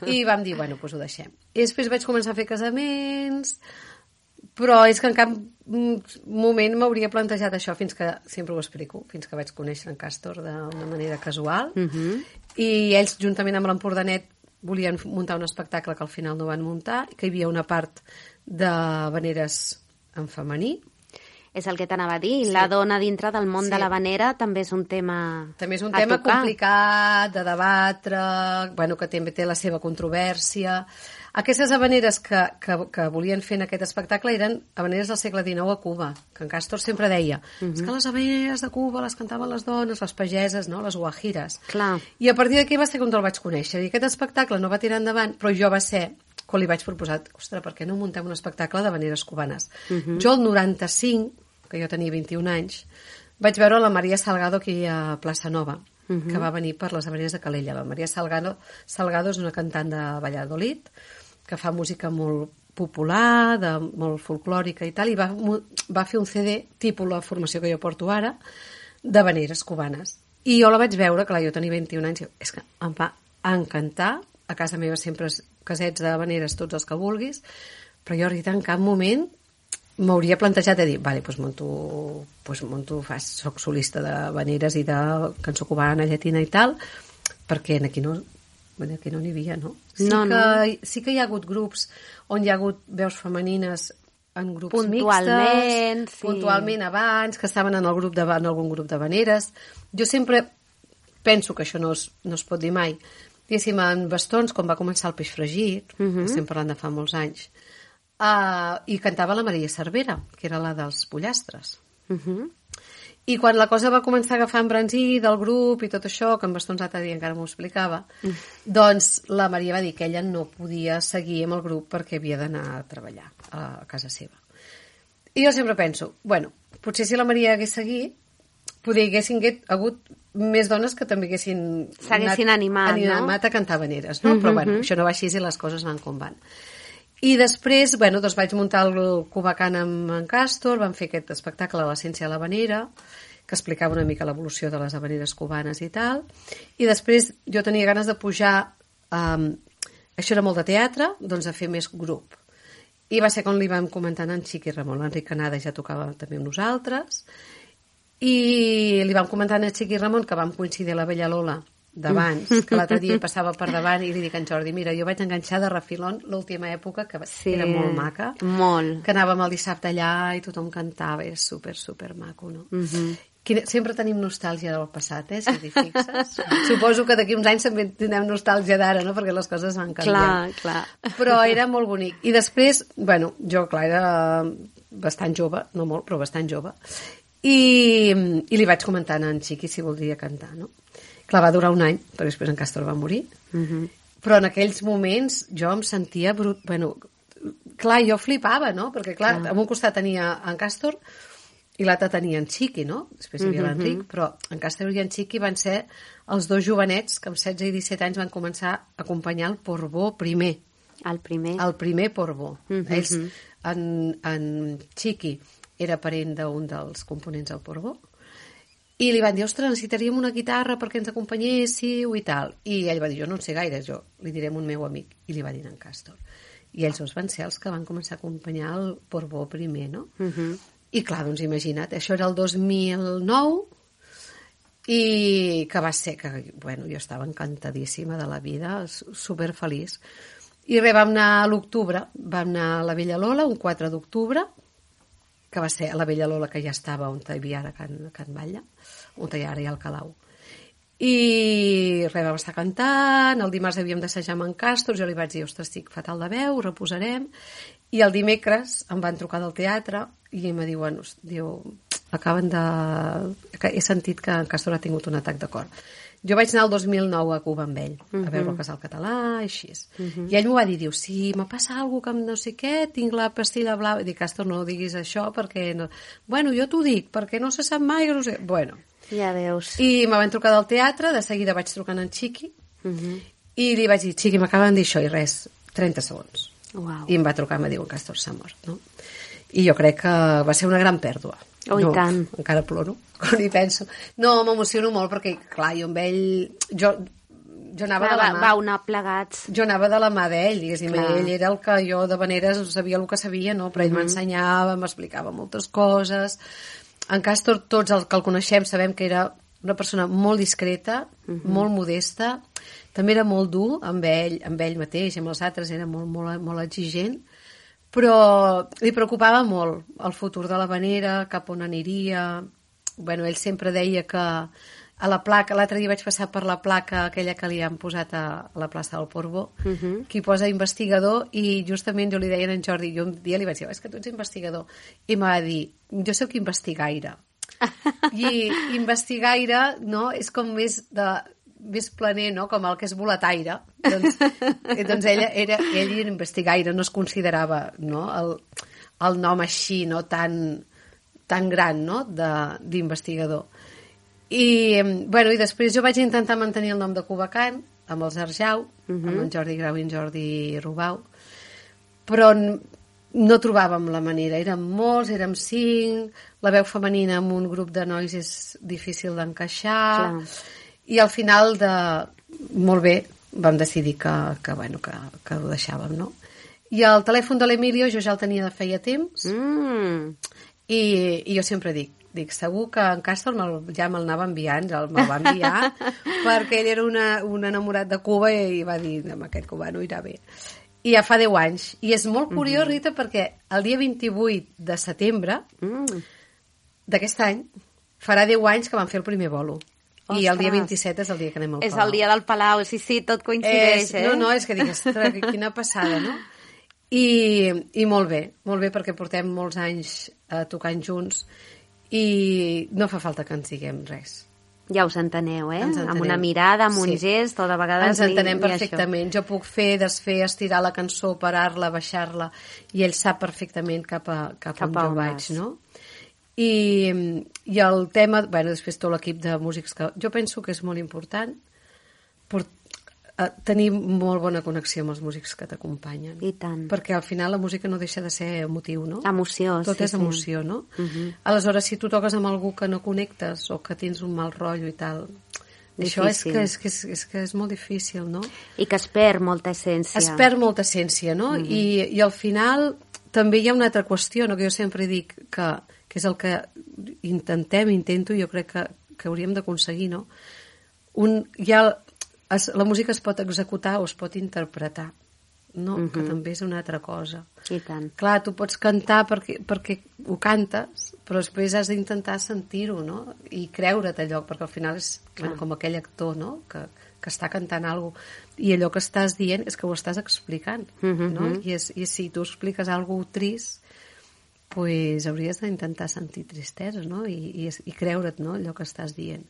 I vam dir, bueno, doncs ho deixem. I després vaig començar a fer casaments... Però és que en cap moment m'hauria plantejat això fins que, sempre ho explico, fins que vaig conèixer en Càstor d'una manera casual. Uh-huh. I ells, juntament amb l'Empordanet, volien muntar un espectacle que al final no van muntar, que hi havia una part de habaneres en femení. És el que t'anava a dir, sí. La dona dintre del món sí. de l'habanera també és un tema També és un tema tocar. complicat, de debatre, bueno, que també té la seva controvèrsia. Aquestes habaneres que, que, que volien fer en aquest espectacle eren habaneres del segle dinou a Cuba, que en Càstor sempre deia uh-huh. és que les habaneres de Cuba les cantaven les dones, les pageses, no? Les guajires. Clar. I a partir d'aquí va ser quan el vaig conèixer. I aquest espectacle no va tirar endavant, però jo va ser quan li vaig proposar, ostres, per què no muntem un espectacle d'habaneres cubanes? Uh-huh. Jo el noranta-cinc, que jo tenia vint-i-un anys, vaig veure la Maria Salgado aquí a Plaça Nova, uh-huh. que va venir per les habaneres de Calella. La Maria Salgado, Salgado és una cantant de Valladolid, que fa música molt popular, de, molt folclòrica i tal, i va, va fer un C D, tipus la formació que jo porto ara, d'habaneres cubanes. I jo la vaig veure, clar, jo tenia vint-i-un anys, i és que em va encantar, a casa meva sempre casets d'habaneres, tots els que vulguis, però jo, Rita, en cap moment m'hauria plantejat de dir, vale, doncs monto, doncs monto fas, soc solista d'habaneres i de cançó cubana, llatina i tal, perquè aquí no... Bueno, aquí no n'hi havia, no? Sí, no, que, no. sí que hi ha hagut grups on hi ha hagut veus femenines en grups puntualment, mixtes, sí. puntualment abans, que estaven en, el grup de, en algun grup d'habaneres. Jo sempre penso que això no es, no es pot dir mai. Diguéssim, en Bastons, quan va començar el Peix Fregit, uh-huh. estem parlant de fa molts anys, uh, i cantava la Maria Cervera, que era la dels pollastres. Uh-huh. I quan la cosa va començar a agafar embranzí del grup i tot això, que en bastons l'altre dia encara m'ho explicava, mm. doncs la Maria va dir que ella no podia seguir amb el grup perquè havia d'anar a treballar a casa seva. I jo sempre penso, bueno, potser si la Maria hagués seguit, poder haguessin hagut més dones que també haguessin s'haguessin animat, animat no? a cantar habaneres, no? Mm-hmm. Però bueno, això no va així i les coses van com van. I després, bueno, doncs vaig muntar el Cubacán amb en Càstor, vam fer aquest espectacle a l'essència de l'habanera, que explicava una mica l'evolució de les habaneres cubanes i tal, i després jo tenia ganes de pujar, um, això era molt de teatre, doncs a fer més grup. I va ser quan li vam comentar a en Xiqui Ramon, l'Enric Canada ja tocava també amb nosaltres, i li vam comentar a en Xiqui Ramon que vam coincidir a la Bella Lola d'abans, que l'altre dia passava per davant i li dic a en Jordi, mira, jo vaig enganxar de refilón l'última època, que sí, era molt maca, molt. Que anàvem el dissabte allà i tothom cantava, era super, super maco, no? Uh-huh. Quina, sempre tenim nostàlgia del passat, eh, si t'hi fixes. Suposo que d'aquí uns anys també tindrem nostàlgia d'ara, no?, perquè les coses van canviant. Clar, clar. Però era molt bonic. I després, bueno, jo, clar, era bastant jove, no molt, però bastant jove, i, i li vaig comentar a en Xiqui si voldria cantar, no? Clar, va durar un any, però després en Càstor va morir. Uh-huh. Però en aquells moments jo em sentia brut... Bueno, clar, jo flipava, no? Perquè, clar, uh-huh. a un costat tenia en Càstor i l'altre tenia en Xiqui, no? Després hi havia uh-huh. l'Enric, però en Càstor i en Xiqui van ser els dos jovenets que amb setze i disset anys van començar a acompanyar el Porbó primer. El primer. El primer Porbó. Uh-huh. Ells, en, en Xiqui era parent d'un dels components del Porbó, i li van dir, ostres, necessitaríem una guitarra perquè ens acompanyéssiu i tal. I ell va dir, jo no en sé gaire, jo li diré a un meu amic. I li va dir en Càstor. I ells dos van ser els que van començar a acompanyar el Porbó primer, no? Uh-huh. I clar, doncs imagina't, això era el dos mil nou i que va ser que, bueno, jo estava encantadíssima de la vida, superfeliç. I res, vam anar a l'octubre, vam anar a la Bella Lola, un quatre d'octubre, que va ser a la Bella Lola, que ja estava on hi havia ara Can, Can Batlle, on hi ha ara hi ha el Calau. I res, vam estar cantant, el dimarts havíem d'assajar amb en Càstor, jo li vaig dir, ostres, estic fatal de veu, reposarem, i el dimecres em van trucar del teatre i em diuen, diu, acaben de... he sentit que en Càstor ha tingut un atac de cor. Jo vaig anar el dos mil nou a Cuba amb ell, uh-huh. a veure el Casal Català, així. Uh-huh. I ell m'ho va dir, diu, si me passa alguna cosa amb no sé què, tinc la pastilla blava. I dic, Càstor, no diguis això perquè... No... Bueno, jo t'ho dic, perquè no se sap mai, no sé... Bueno. Ja veus. I me van trucar del teatre, de seguida vaig trucant en Xiqui, uh-huh. i li vaig dir, Xiqui, m'acaben de dir això, i res, trenta segons. Wow. I em va trucar i em diu, Càstor s'ha mort, no? I jo crec que va ser una gran pèrdua. Oh, no, i tant. Encara ploro quan hi penso. No, m'emociono molt perquè, clar, jo amb ell... Jo, jo anava clar, de la mà... Vau anar plegats. Jo anava de la mà d'ell, diguéssim. Ell era el que jo de veneres sabia el que sabia, no? Però ell uh-huh. m'ensenyava, m'explicava moltes coses. En Càstor, tots els que el coneixem sabem que era una persona molt discreta, uh-huh. molt modesta, també era molt dur amb ell, amb ell mateix, amb els altres era molt, molt, molt exigent, però li preocupava molt el futur de l'habanera, cap on aniria. Bueno, ell sempre deia que a la placa, l'altre dia vaig passar per la placa aquella que li han posat a la plaça del Porbó, uh-huh. que hi posa investigador, i justament jo li deia a en Jordi, jo un dia li vaig dir, és que tu ets investigador, i em va dir, jo soc investigaire. I investigaire, no?, és com més de... més planer, no?, com el que és boletaire. Doncs, doncs ell, era, ell era investigaire, no es considerava, no?, el, el nom així, no?, tan, tan gran, no?, d'investigador. I, bueno, i després jo vaig intentar mantenir el nom de Cubacán, amb els Arjau, uh-huh. amb en Jordi Grau i en Jordi Rubau, però no trobàvem la manera. Érem molts, érem cinc, la veu femenina en un grup de nois és difícil d'encaixar... Clar. I al final de... Molt bé, vam decidir que, que, bueno, que, que ho deixàvem, no? I el telèfon de l'Emilio jo ja el tenia de feia temps, mm. i, i jo sempre dic, dic, segur que en Càstor me'l, ja me'l anava enviant, me'l va enviar, perquè ell era una, un enamorat de Cuba i, i va dir, amb aquest cubano irà bé. I ja fa deu anys. I és molt curiós, mm-hmm. Rita, perquè el dia vint-i-vuit de setembre mm. d'aquest any farà deu anys que van fer el primer bolo. Ostres. I el dia vint-i-set és el dia que anem al Palau. És el dia del Palau, sí, sí, tot coincideix, és, eh? No, no, és que dic, ostres, quina passada, no? I, I molt bé, molt bé, perquè portem molts anys eh, tocant junts i no fa falta que ens diguem res. Ja us enteneu, eh? Ens entenem. Amb una mirada, amb un Sí. gest, o de vegades Ens entenem ni, ni perfectament. Jo puc fer, desfer, estirar la cançó, parar-la, baixar-la, i ell sap perfectament cap a, cap Cap on a jo on vaig, vas. no? I, I el tema, bueno, després tot l'equip de músics, que jo penso que és molt important per, eh, tenir molt bona connexió amb els músics que t'acompanyen. I tant. Perquè al final la música no deixa de ser emotiu, no? Emoció, Tot sí, és sí. emoció, no? Uh -huh. Aleshores, si tu toques amb algú que no connectes o que tens un mal rotllo i tal, això és Difícil. que és, que és, és que és molt difícil, no? I que es perd molta essència. Es perd molta essència, no? Mm-hmm. I, I al final també hi ha una altra qüestió, no? Que jo sempre dic que, que és el que intentem, intento, i jo crec que, que hauríem d'aconseguir, no? Un, hi ha, es, la música es pot executar o es pot interpretar, no? Mhm. Que també és una altra cosa. I tant. Clar, tu pots cantar perquè, perquè ho cantes, però després has d'intentar sentir-ho, no? I creure't allò, perquè al final és bueno, com aquell actor, no? Que, que està cantant alguna cosa, i allò que estàs dient és que ho estàs explicant, Mhm. no? I, és, I si tu expliques alguna cosa trist, pues hauries d'intentar sentir tristesa, no? I, i, i creure't, no? Allò que estàs dient.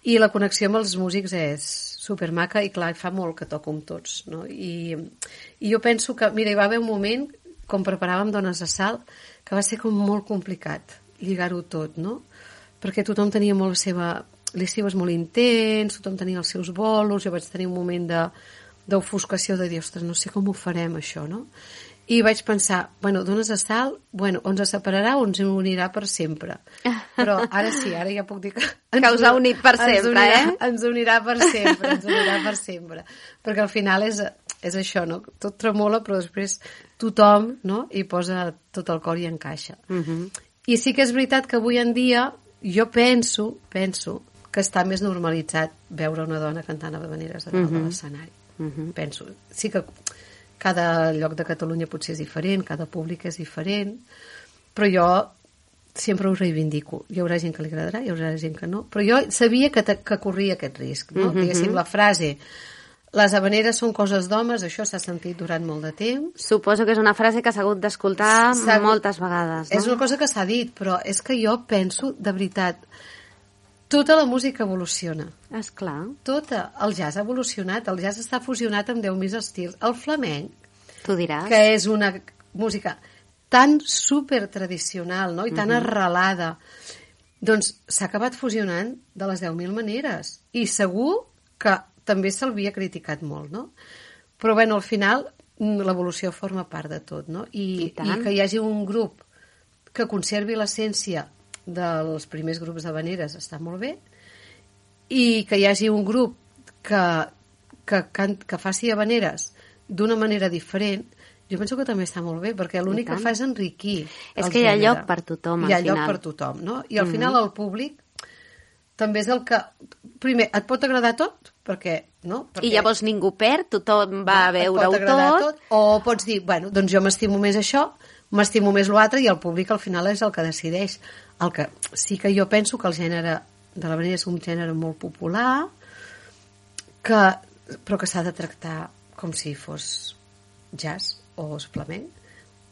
I la connexió amb els músics és supermaca i clar, fa molt que toco amb tots, no? I, i jo penso que, mira, hi va haver un moment, com preparàvem Dones de Salt, que va ser com molt complicat lligar-ho tot, no? Perquè tothom tenia molt la seva... L'estiu és molt intens, tothom tenia els seus bolos, jo vaig tenir un moment de, d'ofuscació de dir, ostres, no sé com ho farem, això, no? I vaig pensar, bueno, Dones de Salt, bueno, o ens separarà o ens unirà per sempre. Però ara sí, ara ja puc dir que... Que us ha unit per sempre, unirà, eh? Ens unirà per sempre, ens unirà per sempre. Perquè al final és, és això, no? Tot tremola, però després tothom, no? Hi posa tot el cor i encaixa. Uh -huh. I sí que és veritat que avui en dia jo penso, penso que està més normalitzat veure una dona cantant habaneres a dalt uh -huh. de l'escenari. Uh -huh. Penso. Sí que cada lloc de Catalunya potser és diferent, cada públic és diferent, però jo sempre ho reivindico. Hi haurà gent que li agradarà, hi haurà gent que no, però jo sabia que, que corria aquest risc, no? Uh -huh. Diguéssim, la frase les habaneres són coses d'homes, això s'ha sentit durant molt de temps. Suposo que és una frase que s'ha hagut d'escoltar S'ha- moltes vegades, no? És una cosa que s'ha dit, però és que jo penso, de veritat, tota la música evoluciona. Esclar, Tota. El jazz ha evolucionat, el jazz està fusionat amb deu mil estils. El flamenc, tu diràs. que és una música tan super tradicional, no? I tan arrelada, doncs s'ha acabat fusionant de les deu mil maneres. I segur que també se'l criticat molt, no? Però, bueno, al final mm, l'evolució forma part de tot, no? I, I tant. i que hi hagi un grup que conservi l'essència dels primers grups d'habaneres està molt bé, i que hi hagi un grup que, que, can, que faci habaneres d'una manera diferent, jo penso que també està molt bé, perquè l'únic que fa és enriquir És el que hi ha gènere. lloc per tothom, al Hi ha lloc final. per tothom, no? I al final el públic també és el que... Primer, et pot agradar tot, perquè... No? Perquè I llavors ningú perd, tothom va a et pot veure-ho agradar tot. O pots dir, bueno, doncs jo m'estimo més això, m'estimo més l'altre, i el públic al final és el que decideix. El que sí que jo penso que el gènere de l'habanera és un gènere molt popular, que, però que s'ha de tractar com si fos jazz o flamenc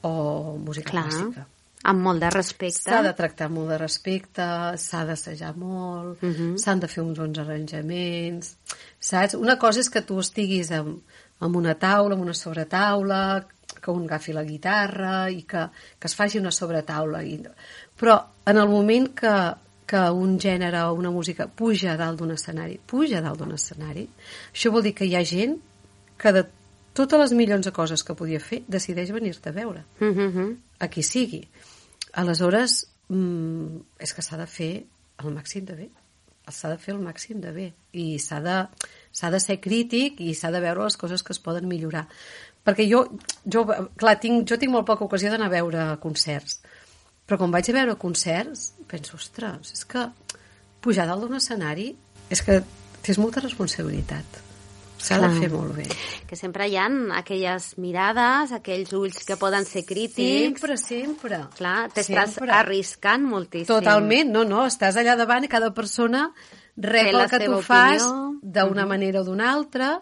o música Clar, clàssica. amb molt de respecte. S'ha de tractar molt de respecte, s'ha d'assajar molt, uh -huh. s'han de fer uns bons arranjaments, saps? Una cosa és que tu estiguis amb, amb una taula, amb una sobretaula, que un agafi la guitarra i que, que es faci una sobretaula. I... Però en el moment que, que un gènere o una música puja a dalt d'un escenari, puja a dalt d'un escenari, això vol dir que hi ha gent que de totes les milions de coses que podia fer decideix venir-te a veure, Uh -huh. a qui sigui. Aleshores, mm, és que s'ha de fer el màxim de bé. S'ha de fer el màxim de bé. I s'ha de, s'ha de ser crític i s'ha de veure les coses que es poden millorar. Perquè jo, jo clar, tinc, jo tinc molt poca ocasió d'anar a veure concerts. Però quan vaig a veure concerts, penso, ostres, és que pujar dalt d'un escenari és que tens molta responsabilitat. S'ha de Clar. fer molt bé. Que sempre hi ha aquelles mirades, aquells ulls que poden ser crítics. Sempre, sempre. Clar, t'estàs Sempre. arriscant moltíssim. Totalment, no, no, estàs allà davant i cada persona rep Té la el que tu seva fas opinió. d'una Mhm. manera o d'una altra.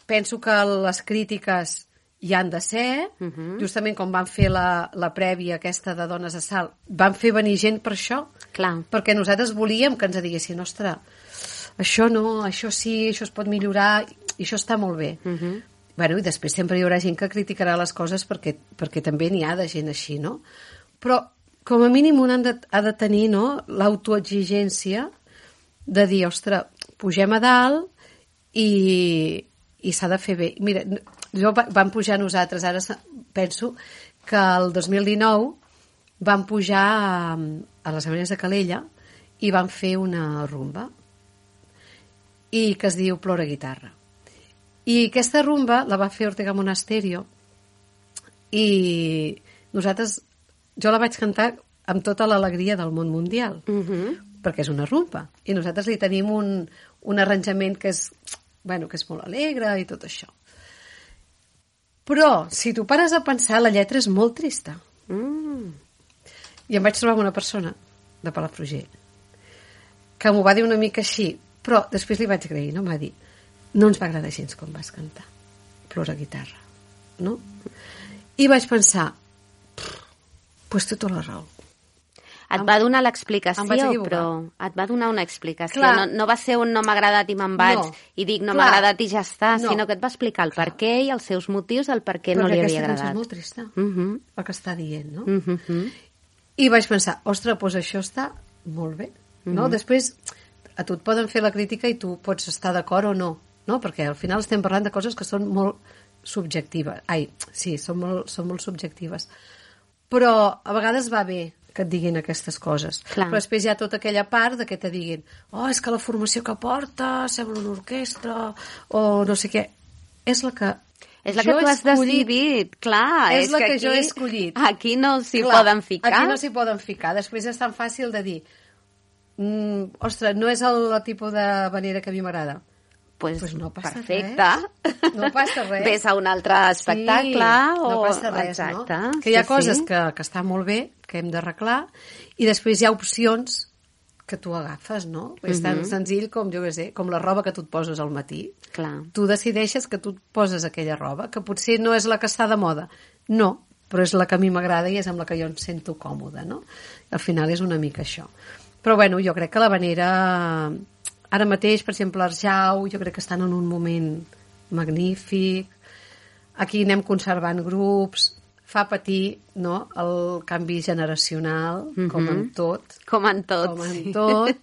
Penso que les crítiques hi han de ser, Uh -huh. justament com van fer la, la prèvia aquesta de Dones a Salt, van fer venir gent per això, Clar. perquè nosaltres volíem que ens diguessin, ostres, això no, això sí, això es pot millorar, i això està molt bé. Uh -huh. Bueno, i després sempre hi haurà gent que criticarà les coses perquè, perquè també n'hi ha de gent així, no? Però, com a mínim, un ha de, ha de tenir, no?, l'autoexigència de dir, ostres, pugem a dalt i, i s'ha de fer bé. Mira, jo vam pujar nosaltres, ara penso que el dos mil dinou vam pujar a, a les Havaneres de Calella i vam fer una rumba i que es diu Plora Guitarra. I aquesta rumba la va fer Ortega Monasterio i nosaltres, jo la vaig cantar amb tota l'alegria del món mundial, Uh -huh. perquè és una rumba. I nosaltres li tenim un, un arranjament que és, bueno, que és molt alegre i tot això. Però, si tu pares a pensar, la lletra és molt trista. Mm. I em vaig trobar amb una persona de Palafrugell que m'ho va dir una mica així, però després li vaig agrair, no? Em va dir, no ens va agradar gens com vas cantar Plora Guitarra, no? I vaig pensar, pues té tota la raó. Et va donar l'explicació, Em vaig equivocar. però et va donar una explicació. Clar. No, no va ser un no m'ha agradat i me'n vaig No. i dic no Clar. m'ha agradat i ja està, No. sinó que et va explicar el per què i els seus motius del per què no Perquè li havia aquesta cançó agradat. és molt trista, Uh -huh. el que està dient, no? Uh -huh. I vaig pensar, ostres, doncs això està molt bé, no? Mhm. Després, a tu et poden fer la crítica i tu pots estar d'acord o no, no? Perquè al final estem parlant de coses que són molt subjectives. Ai, sí, són molt, són molt subjectives. Però a vegades va bé que et diguin aquestes coses. Clar. Però després hi ha tota aquella part de que te diguin, oh, és que la formació que porta sembla una orquestra, o no sé què. És la que És la jo que tu he has escollit. decidit, clar. És la que aquí, jo he escollit. Aquí no s'hi Clar, poden ficar. Aquí no s'hi poden ficar. Després és tan fàcil de dir, mm, ostres, no és el, el tipus de manera que a mi m'agrada. Pues, Pues no passa perfecte. res. No passa res. Ves a un altre espectacle. Sí, o... no passa res, Exacte. no? Que hi ha sí, coses sí. que, que estan molt bé, que hem d'arreglar, i després hi ha opcions que tu agafes, no? És tan Mhm. senzill com, jo què sé, com la roba que tu et poses al matí. Clar. Tu decideixes que tu et poses aquella roba, que potser no és la que està de moda. No, però és la que a mi m'agrada i és amb la que jo em sento còmoda, no? Al final és una mica això. Però, bueno, jo crec que l'Havanera... Ara mateix, per exemple, l'Arjau, jo crec que estan en un moment magnífic. Aquí anem conservant grups, fa patir, no?, el canvi generacional, Mhm. com en tot. Com en tot. Com en sí. tot.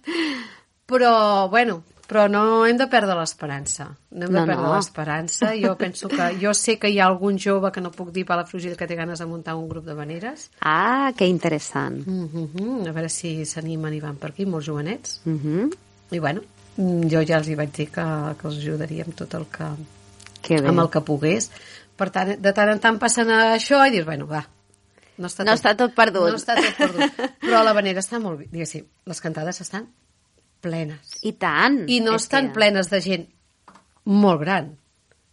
Però, bueno, però no hem de perdre l'esperança. No hem de No, perdre no. l'esperança. Jo penso que... Jo sé que hi ha algun jove que no puc dir Palafrugell que té ganes de muntar un grup d'havaneres. Ah, que interessant. Mm -hmm. A veure si s'animen i van per aquí, molts jovenets. Uh -huh. I bueno, jo ja els hi vaig dir que, que els ajudaria amb tot el que... Que bé. amb el que pogués. Per tant, de tant en tant passen a això i dius, bueno, va, no està, No està tot perdut. No està tot perdut. Però l'Havanera està molt bé, diguéssim, les cantades estan plenes. I tant. I no És estan que... plenes de gent molt gran.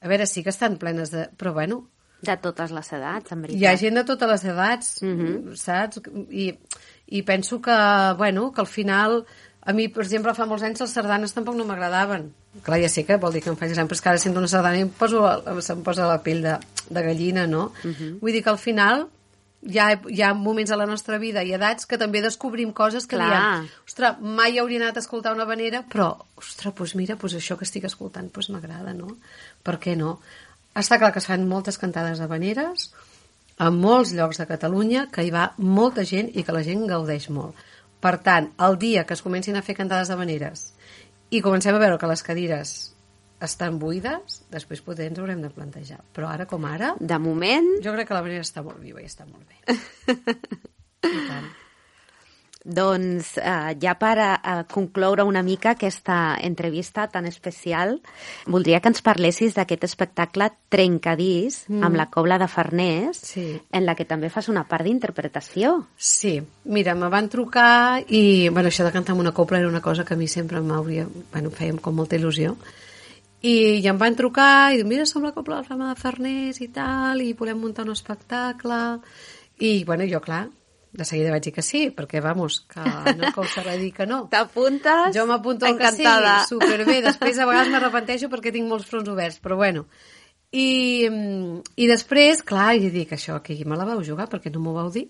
A veure, sí que estan plenes de... Però bueno, De totes les edats, en veritat. hi ha gent de totes les edats, Mhm. saps? I, I penso que, bueno, que al final... A mi, per exemple, fa molts anys les sardanes tampoc no m'agradaven. Clar, ja sé que vol dir que em faig gran, però és que ara sento una sardana i em poso, se'm posa la pell de, de gallina, no? Mhm. Vull dir que al final hi ha, hi ha moments a la nostra vida i edats que també descobrim coses que Clar. diem, ostres, mai hauria anat a escoltar una havanera, però, ostres, doncs mira, doncs això que estic escoltant doncs m'agrada, no? Per què no? Està clar que es fan moltes cantades habaneres a molts llocs de Catalunya, que hi va molta gent i que la gent gaudeix molt. Per tant, el dia que es comencin a fer cantades d'havaneres i comencem a veure que les cadires estan buides, després potser ens haurem de plantejar. Però ara com ara, De moment, jo crec que l'havanera està molt viva i està molt bé. I tant. doncs, eh, ja per a, a concloure una mica aquesta entrevista tan especial, voldria que ens parlessis d'aquest espectacle Trencadís, Mm. amb la Cobla de Farners, Sí. en la que també fas una part d'interpretació. Sí, mira, me van trucar i, bueno, això de cantar amb una copla era una cosa que a mi sempre m'hauria, bueno, em feia com molta il·lusió. I, i em van trucar i diuen, mira, som la Cobla de Rama de Farners i tal, i volem muntar un espectacle. I, bueno, jo, clar, de seguida vaig dir que sí, perquè, vamos, que no com serà dir que no. T'apuntes? Jo m'apunto al que Encantada. sigui, superbé. Després, a vegades m'arrepenteixo perquè tinc molts fronts oberts, però bueno. I, i després, clar, i dic, això aquí me la vau jugar perquè no m'ho vau dir.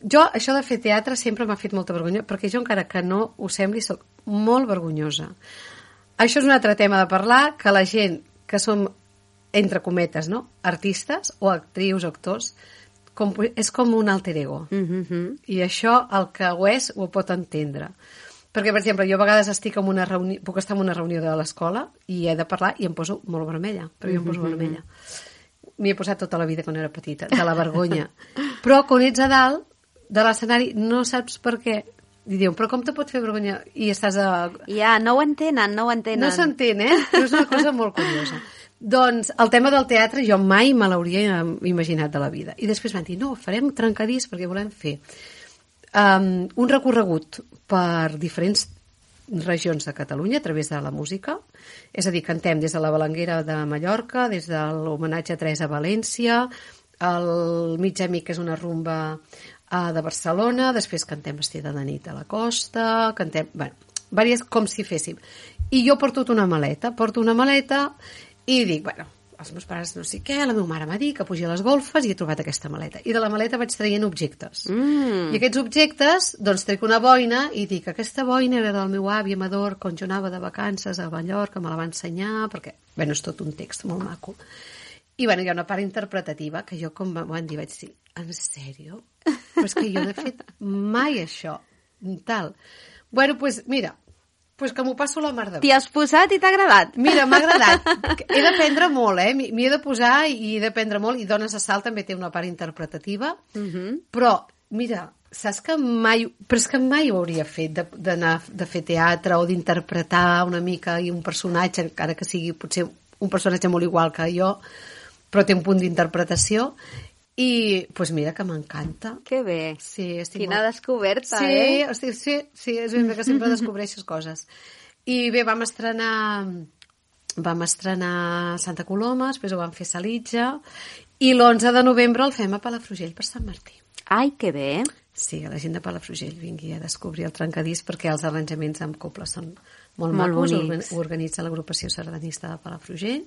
Jo, això de fer teatre sempre m'ha fet molta vergonya, perquè jo, encara que no ho sembli, soc molt vergonyosa. Això és un altre tema de parlar, que la gent que som, entre cometes, no? Artistes o actrius o actors, com, és com un alter ego. Mm-hmm. I això, el que ho és, ho pot entendre. Perquè, per exemple, jo a vegades estic en una reunió, puc estar en una reunió de l'escola i he de parlar i em poso molt vermella, però jo em poso vermella. M'hi he posat tota la vida quan era petita, de la vergonya. Però quan ets a dalt de l'escenari no saps per què. I diuen, però com te pot fer vergonya? I estàs a... Ja, no ho entenen, no ho entenen. No s'entén, eh? Però és una cosa molt curiosa. Doncs el tema del teatre jo mai me l'hauria imaginat de la vida. I després van dir, no, farem trencadís perquè volem fer um, un recorregut per diferents regions de Catalunya a través de la música. És a dir, cantem des de la Balanguera de Mallorca, des de l'homenatge a Teresa València, el Mig Amic, que és una rumba uh, de Barcelona, després cantem Vestida de nit a la costa, cantem... Bueno, diverses, com si féssim. I jo porto una maleta, porto una maleta i dic, bueno, els meus pares no sé què, la meva mare m'ha dit que pugi a les golfes i he trobat aquesta maleta. I de la maleta vaig traient objectes. Mm. I aquests objectes, doncs trec una boina i dic, aquesta boina era del meu avi Amador quan jo anava de vacances a Mallorca, me la va ensenyar, perquè, bueno, és tot un text molt maco. I, bueno, hi ha una part interpretativa que jo, com m'ho van dir, vaig dir, en sèrio? Però és que jo no he fet mai això, tal. Bueno, doncs, pues, mira, pues que m'ho passo la mar de bé. T'hi has posat i t'ha agradat? Mira, m'ha agradat. He d'aprendre molt, eh? M'hi he de posar i he d'aprendre molt. I Dones a Salt també té una part interpretativa. Mm-hmm. Però, mira, saps que mai... Però és que mai ho hauria fet, d'anar de fer teatre o d'interpretar una mica i un personatge, encara que sigui potser un personatge molt igual que jo, però té un punt d'interpretació. I, doncs pues mira, que m'encanta. Que bé. Sí, estic Quina molt... descoberta, sí, eh? Estic, sí, sí, és ben bé que sempre descobreixes coses. I bé, vam estrenar vam estrenar Santa Coloma, després ho vam fer a Salitja, i l'onze de novembre el fem a Palafrugell per Sant Martí. Ai, que bé. Sí, a la gent de Palafrugell vingui a descobrir el trencadís, perquè els arranjaments amb coble són molt, Molt macos. bonics. Ho organitza l'agrupació sardanista de Palafrugell.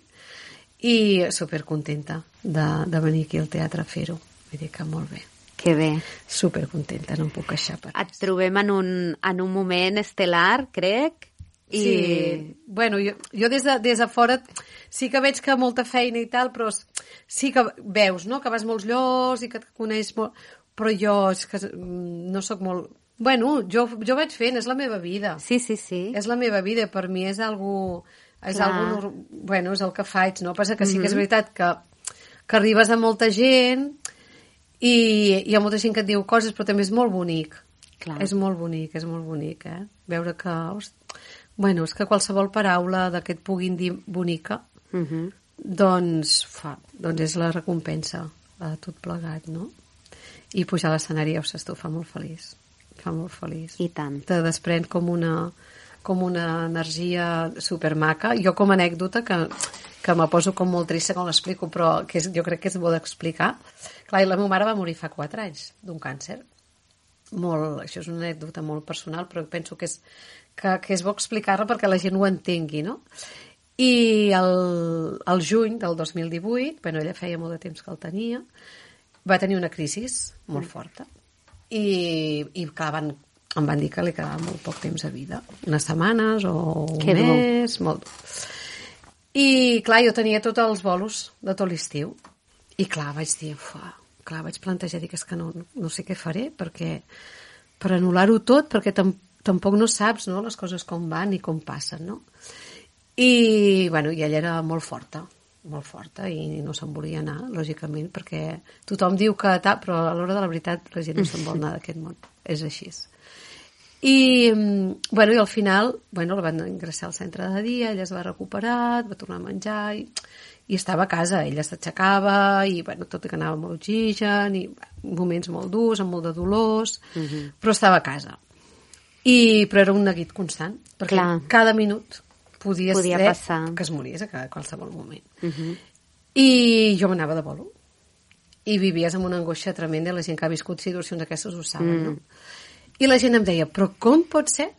I supercontenta de, de venir aquí al teatre a fer-ho. Vull dir que molt bé. Que bé. Supercontenta, no em puc queixar per Et trobem en un, en un moment estel·lar, crec. I... Sí, bueno, jo, jo des, de, des de fora sí que veig que molta feina i tal, però sí que veus, no?, que vas molts llocs i que et coneix molt... Però jo és que no sóc molt... Bueno, jo, jo vaig fent, és la meva vida. Sí, sí, sí. És la meva vida, per mi és algo... És, Clar. algo, bueno, és el que faig, no? Passa que sí que és veritat que, que arribes a molta gent i hi ha molta gent que et diu coses, però també és molt bonic. Clar. És molt bonic, és molt bonic, eh? Veure que... Bueno, és que qualsevol paraula de que et puguin dir bonica, Mm-hmm. doncs, fa, doncs és la recompensa de tot plegat, no? I pujar a l'escenari, ja ho saps tu, fa molt feliç. Fa molt feliç. I tant. Te desprèn com una... com una energia supermaca. Jo, com a anècdota, que, que me poso com molt trista quan l'explico, però que és, jo crec que és bo d'explicar. Clar, i la meva mare va morir fa quatre anys d'un càncer. Molt, això és una anècdota molt personal, però penso que és, que, que és bo explicar-la perquè la gent ho entengui, no? I el, el juny del dos mil divuit, bueno, ella feia molt de temps que el tenia, va tenir una crisi molt forta. I, i clar, van em van dir que li quedava molt poc temps a vida, unes setmanes o un que mes, molt. I clar, jo tenia tots els bolos de tot l'estiu i clar, vaig dir, ufa, clar, vaig plantejar, dic, és que no, no sé què faré perquè per anul·lar-ho tot, perquè tam, tampoc no saps, no?, les coses com van i com passen, no? I, bueno, i ella era molt forta, molt forta, i no se'n volia anar, lògicament, perquè tothom diu que tal, però a l'hora de la veritat la gent no se'n vol anar d'aquest món, és així. I, bueno, i al final, bueno, la van ingressar al centre de dia, ella es va recuperar, va tornar a menjar i, i estava a casa, ella s'aixecava i, bueno, tot i que anava molt oxigen i moments molt durs, amb molt de dolors, uh-huh. però estava a casa. I, però era un neguit constant, perquè Clar. cada minut podia, podia ser passar. que es mories a qualsevol moment. Uh-huh. I jo m'anava de bolo. I vivies amb una angoixa tremenda, la gent que ha viscut situacions d'aquestes ho saben, mm. no? I la gent em deia, però com pot ser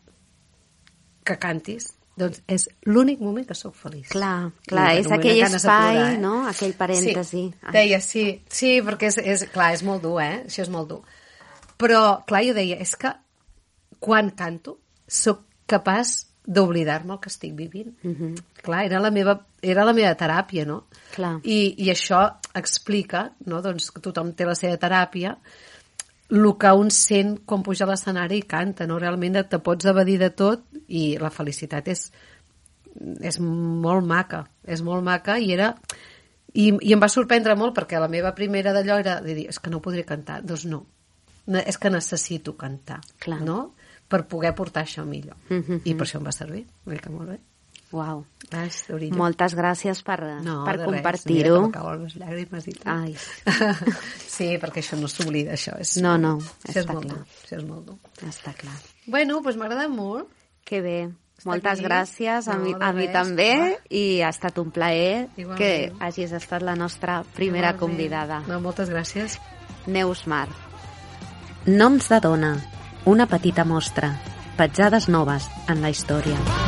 que cantis doncs és l'únic moment que sóc feliç. Clar, clar, I, és bueno, aquell espai, plorar, eh? no? Aquell parèntesi. Sí, deia, sí, sí, perquè és, és, clar, és molt dur, eh? Això és molt dur. Però, clar, jo deia, és que quan canto sóc capaç d'oblidar-me el que estic vivint. Mm-hmm. Clar, era la meva, era la meva teràpia, no? Clar. I, i això explica, no? Doncs que tothom té la seva teràpia, el que un sent quan puja a l'escenari i canta, no? Realment te pots evadir de tot i la felicitat és, és molt maca, és molt maca i era... I, i em va sorprendre molt perquè la meva primera d'allò era de dir, és que no podré cantar. Doncs no, no és que necessito cantar, clar, no? Per poder portar això millor. Mm-hmm. I per això em va servir, vull que molt bé. Uau. Vas, moltes gràcies per, no, per compartir-ho. No, cauen les llàgrimes i tot. Ai. Sí, perquè això no s'oblida, això. És, no, no, això està és molt clar. dur, això és molt dur. Està clar. Bueno, doncs m'ha agradat molt. Que bé. Està moltes aquí. gràcies, a, No, mi, de a mi res. també, Ah. i ha estat un plaer Igualment. que hagis estat la nostra primera Igualment. convidada. No, moltes gràcies. Neus Mar. Noms de dona. Una petita mostra. Petjades noves en la història.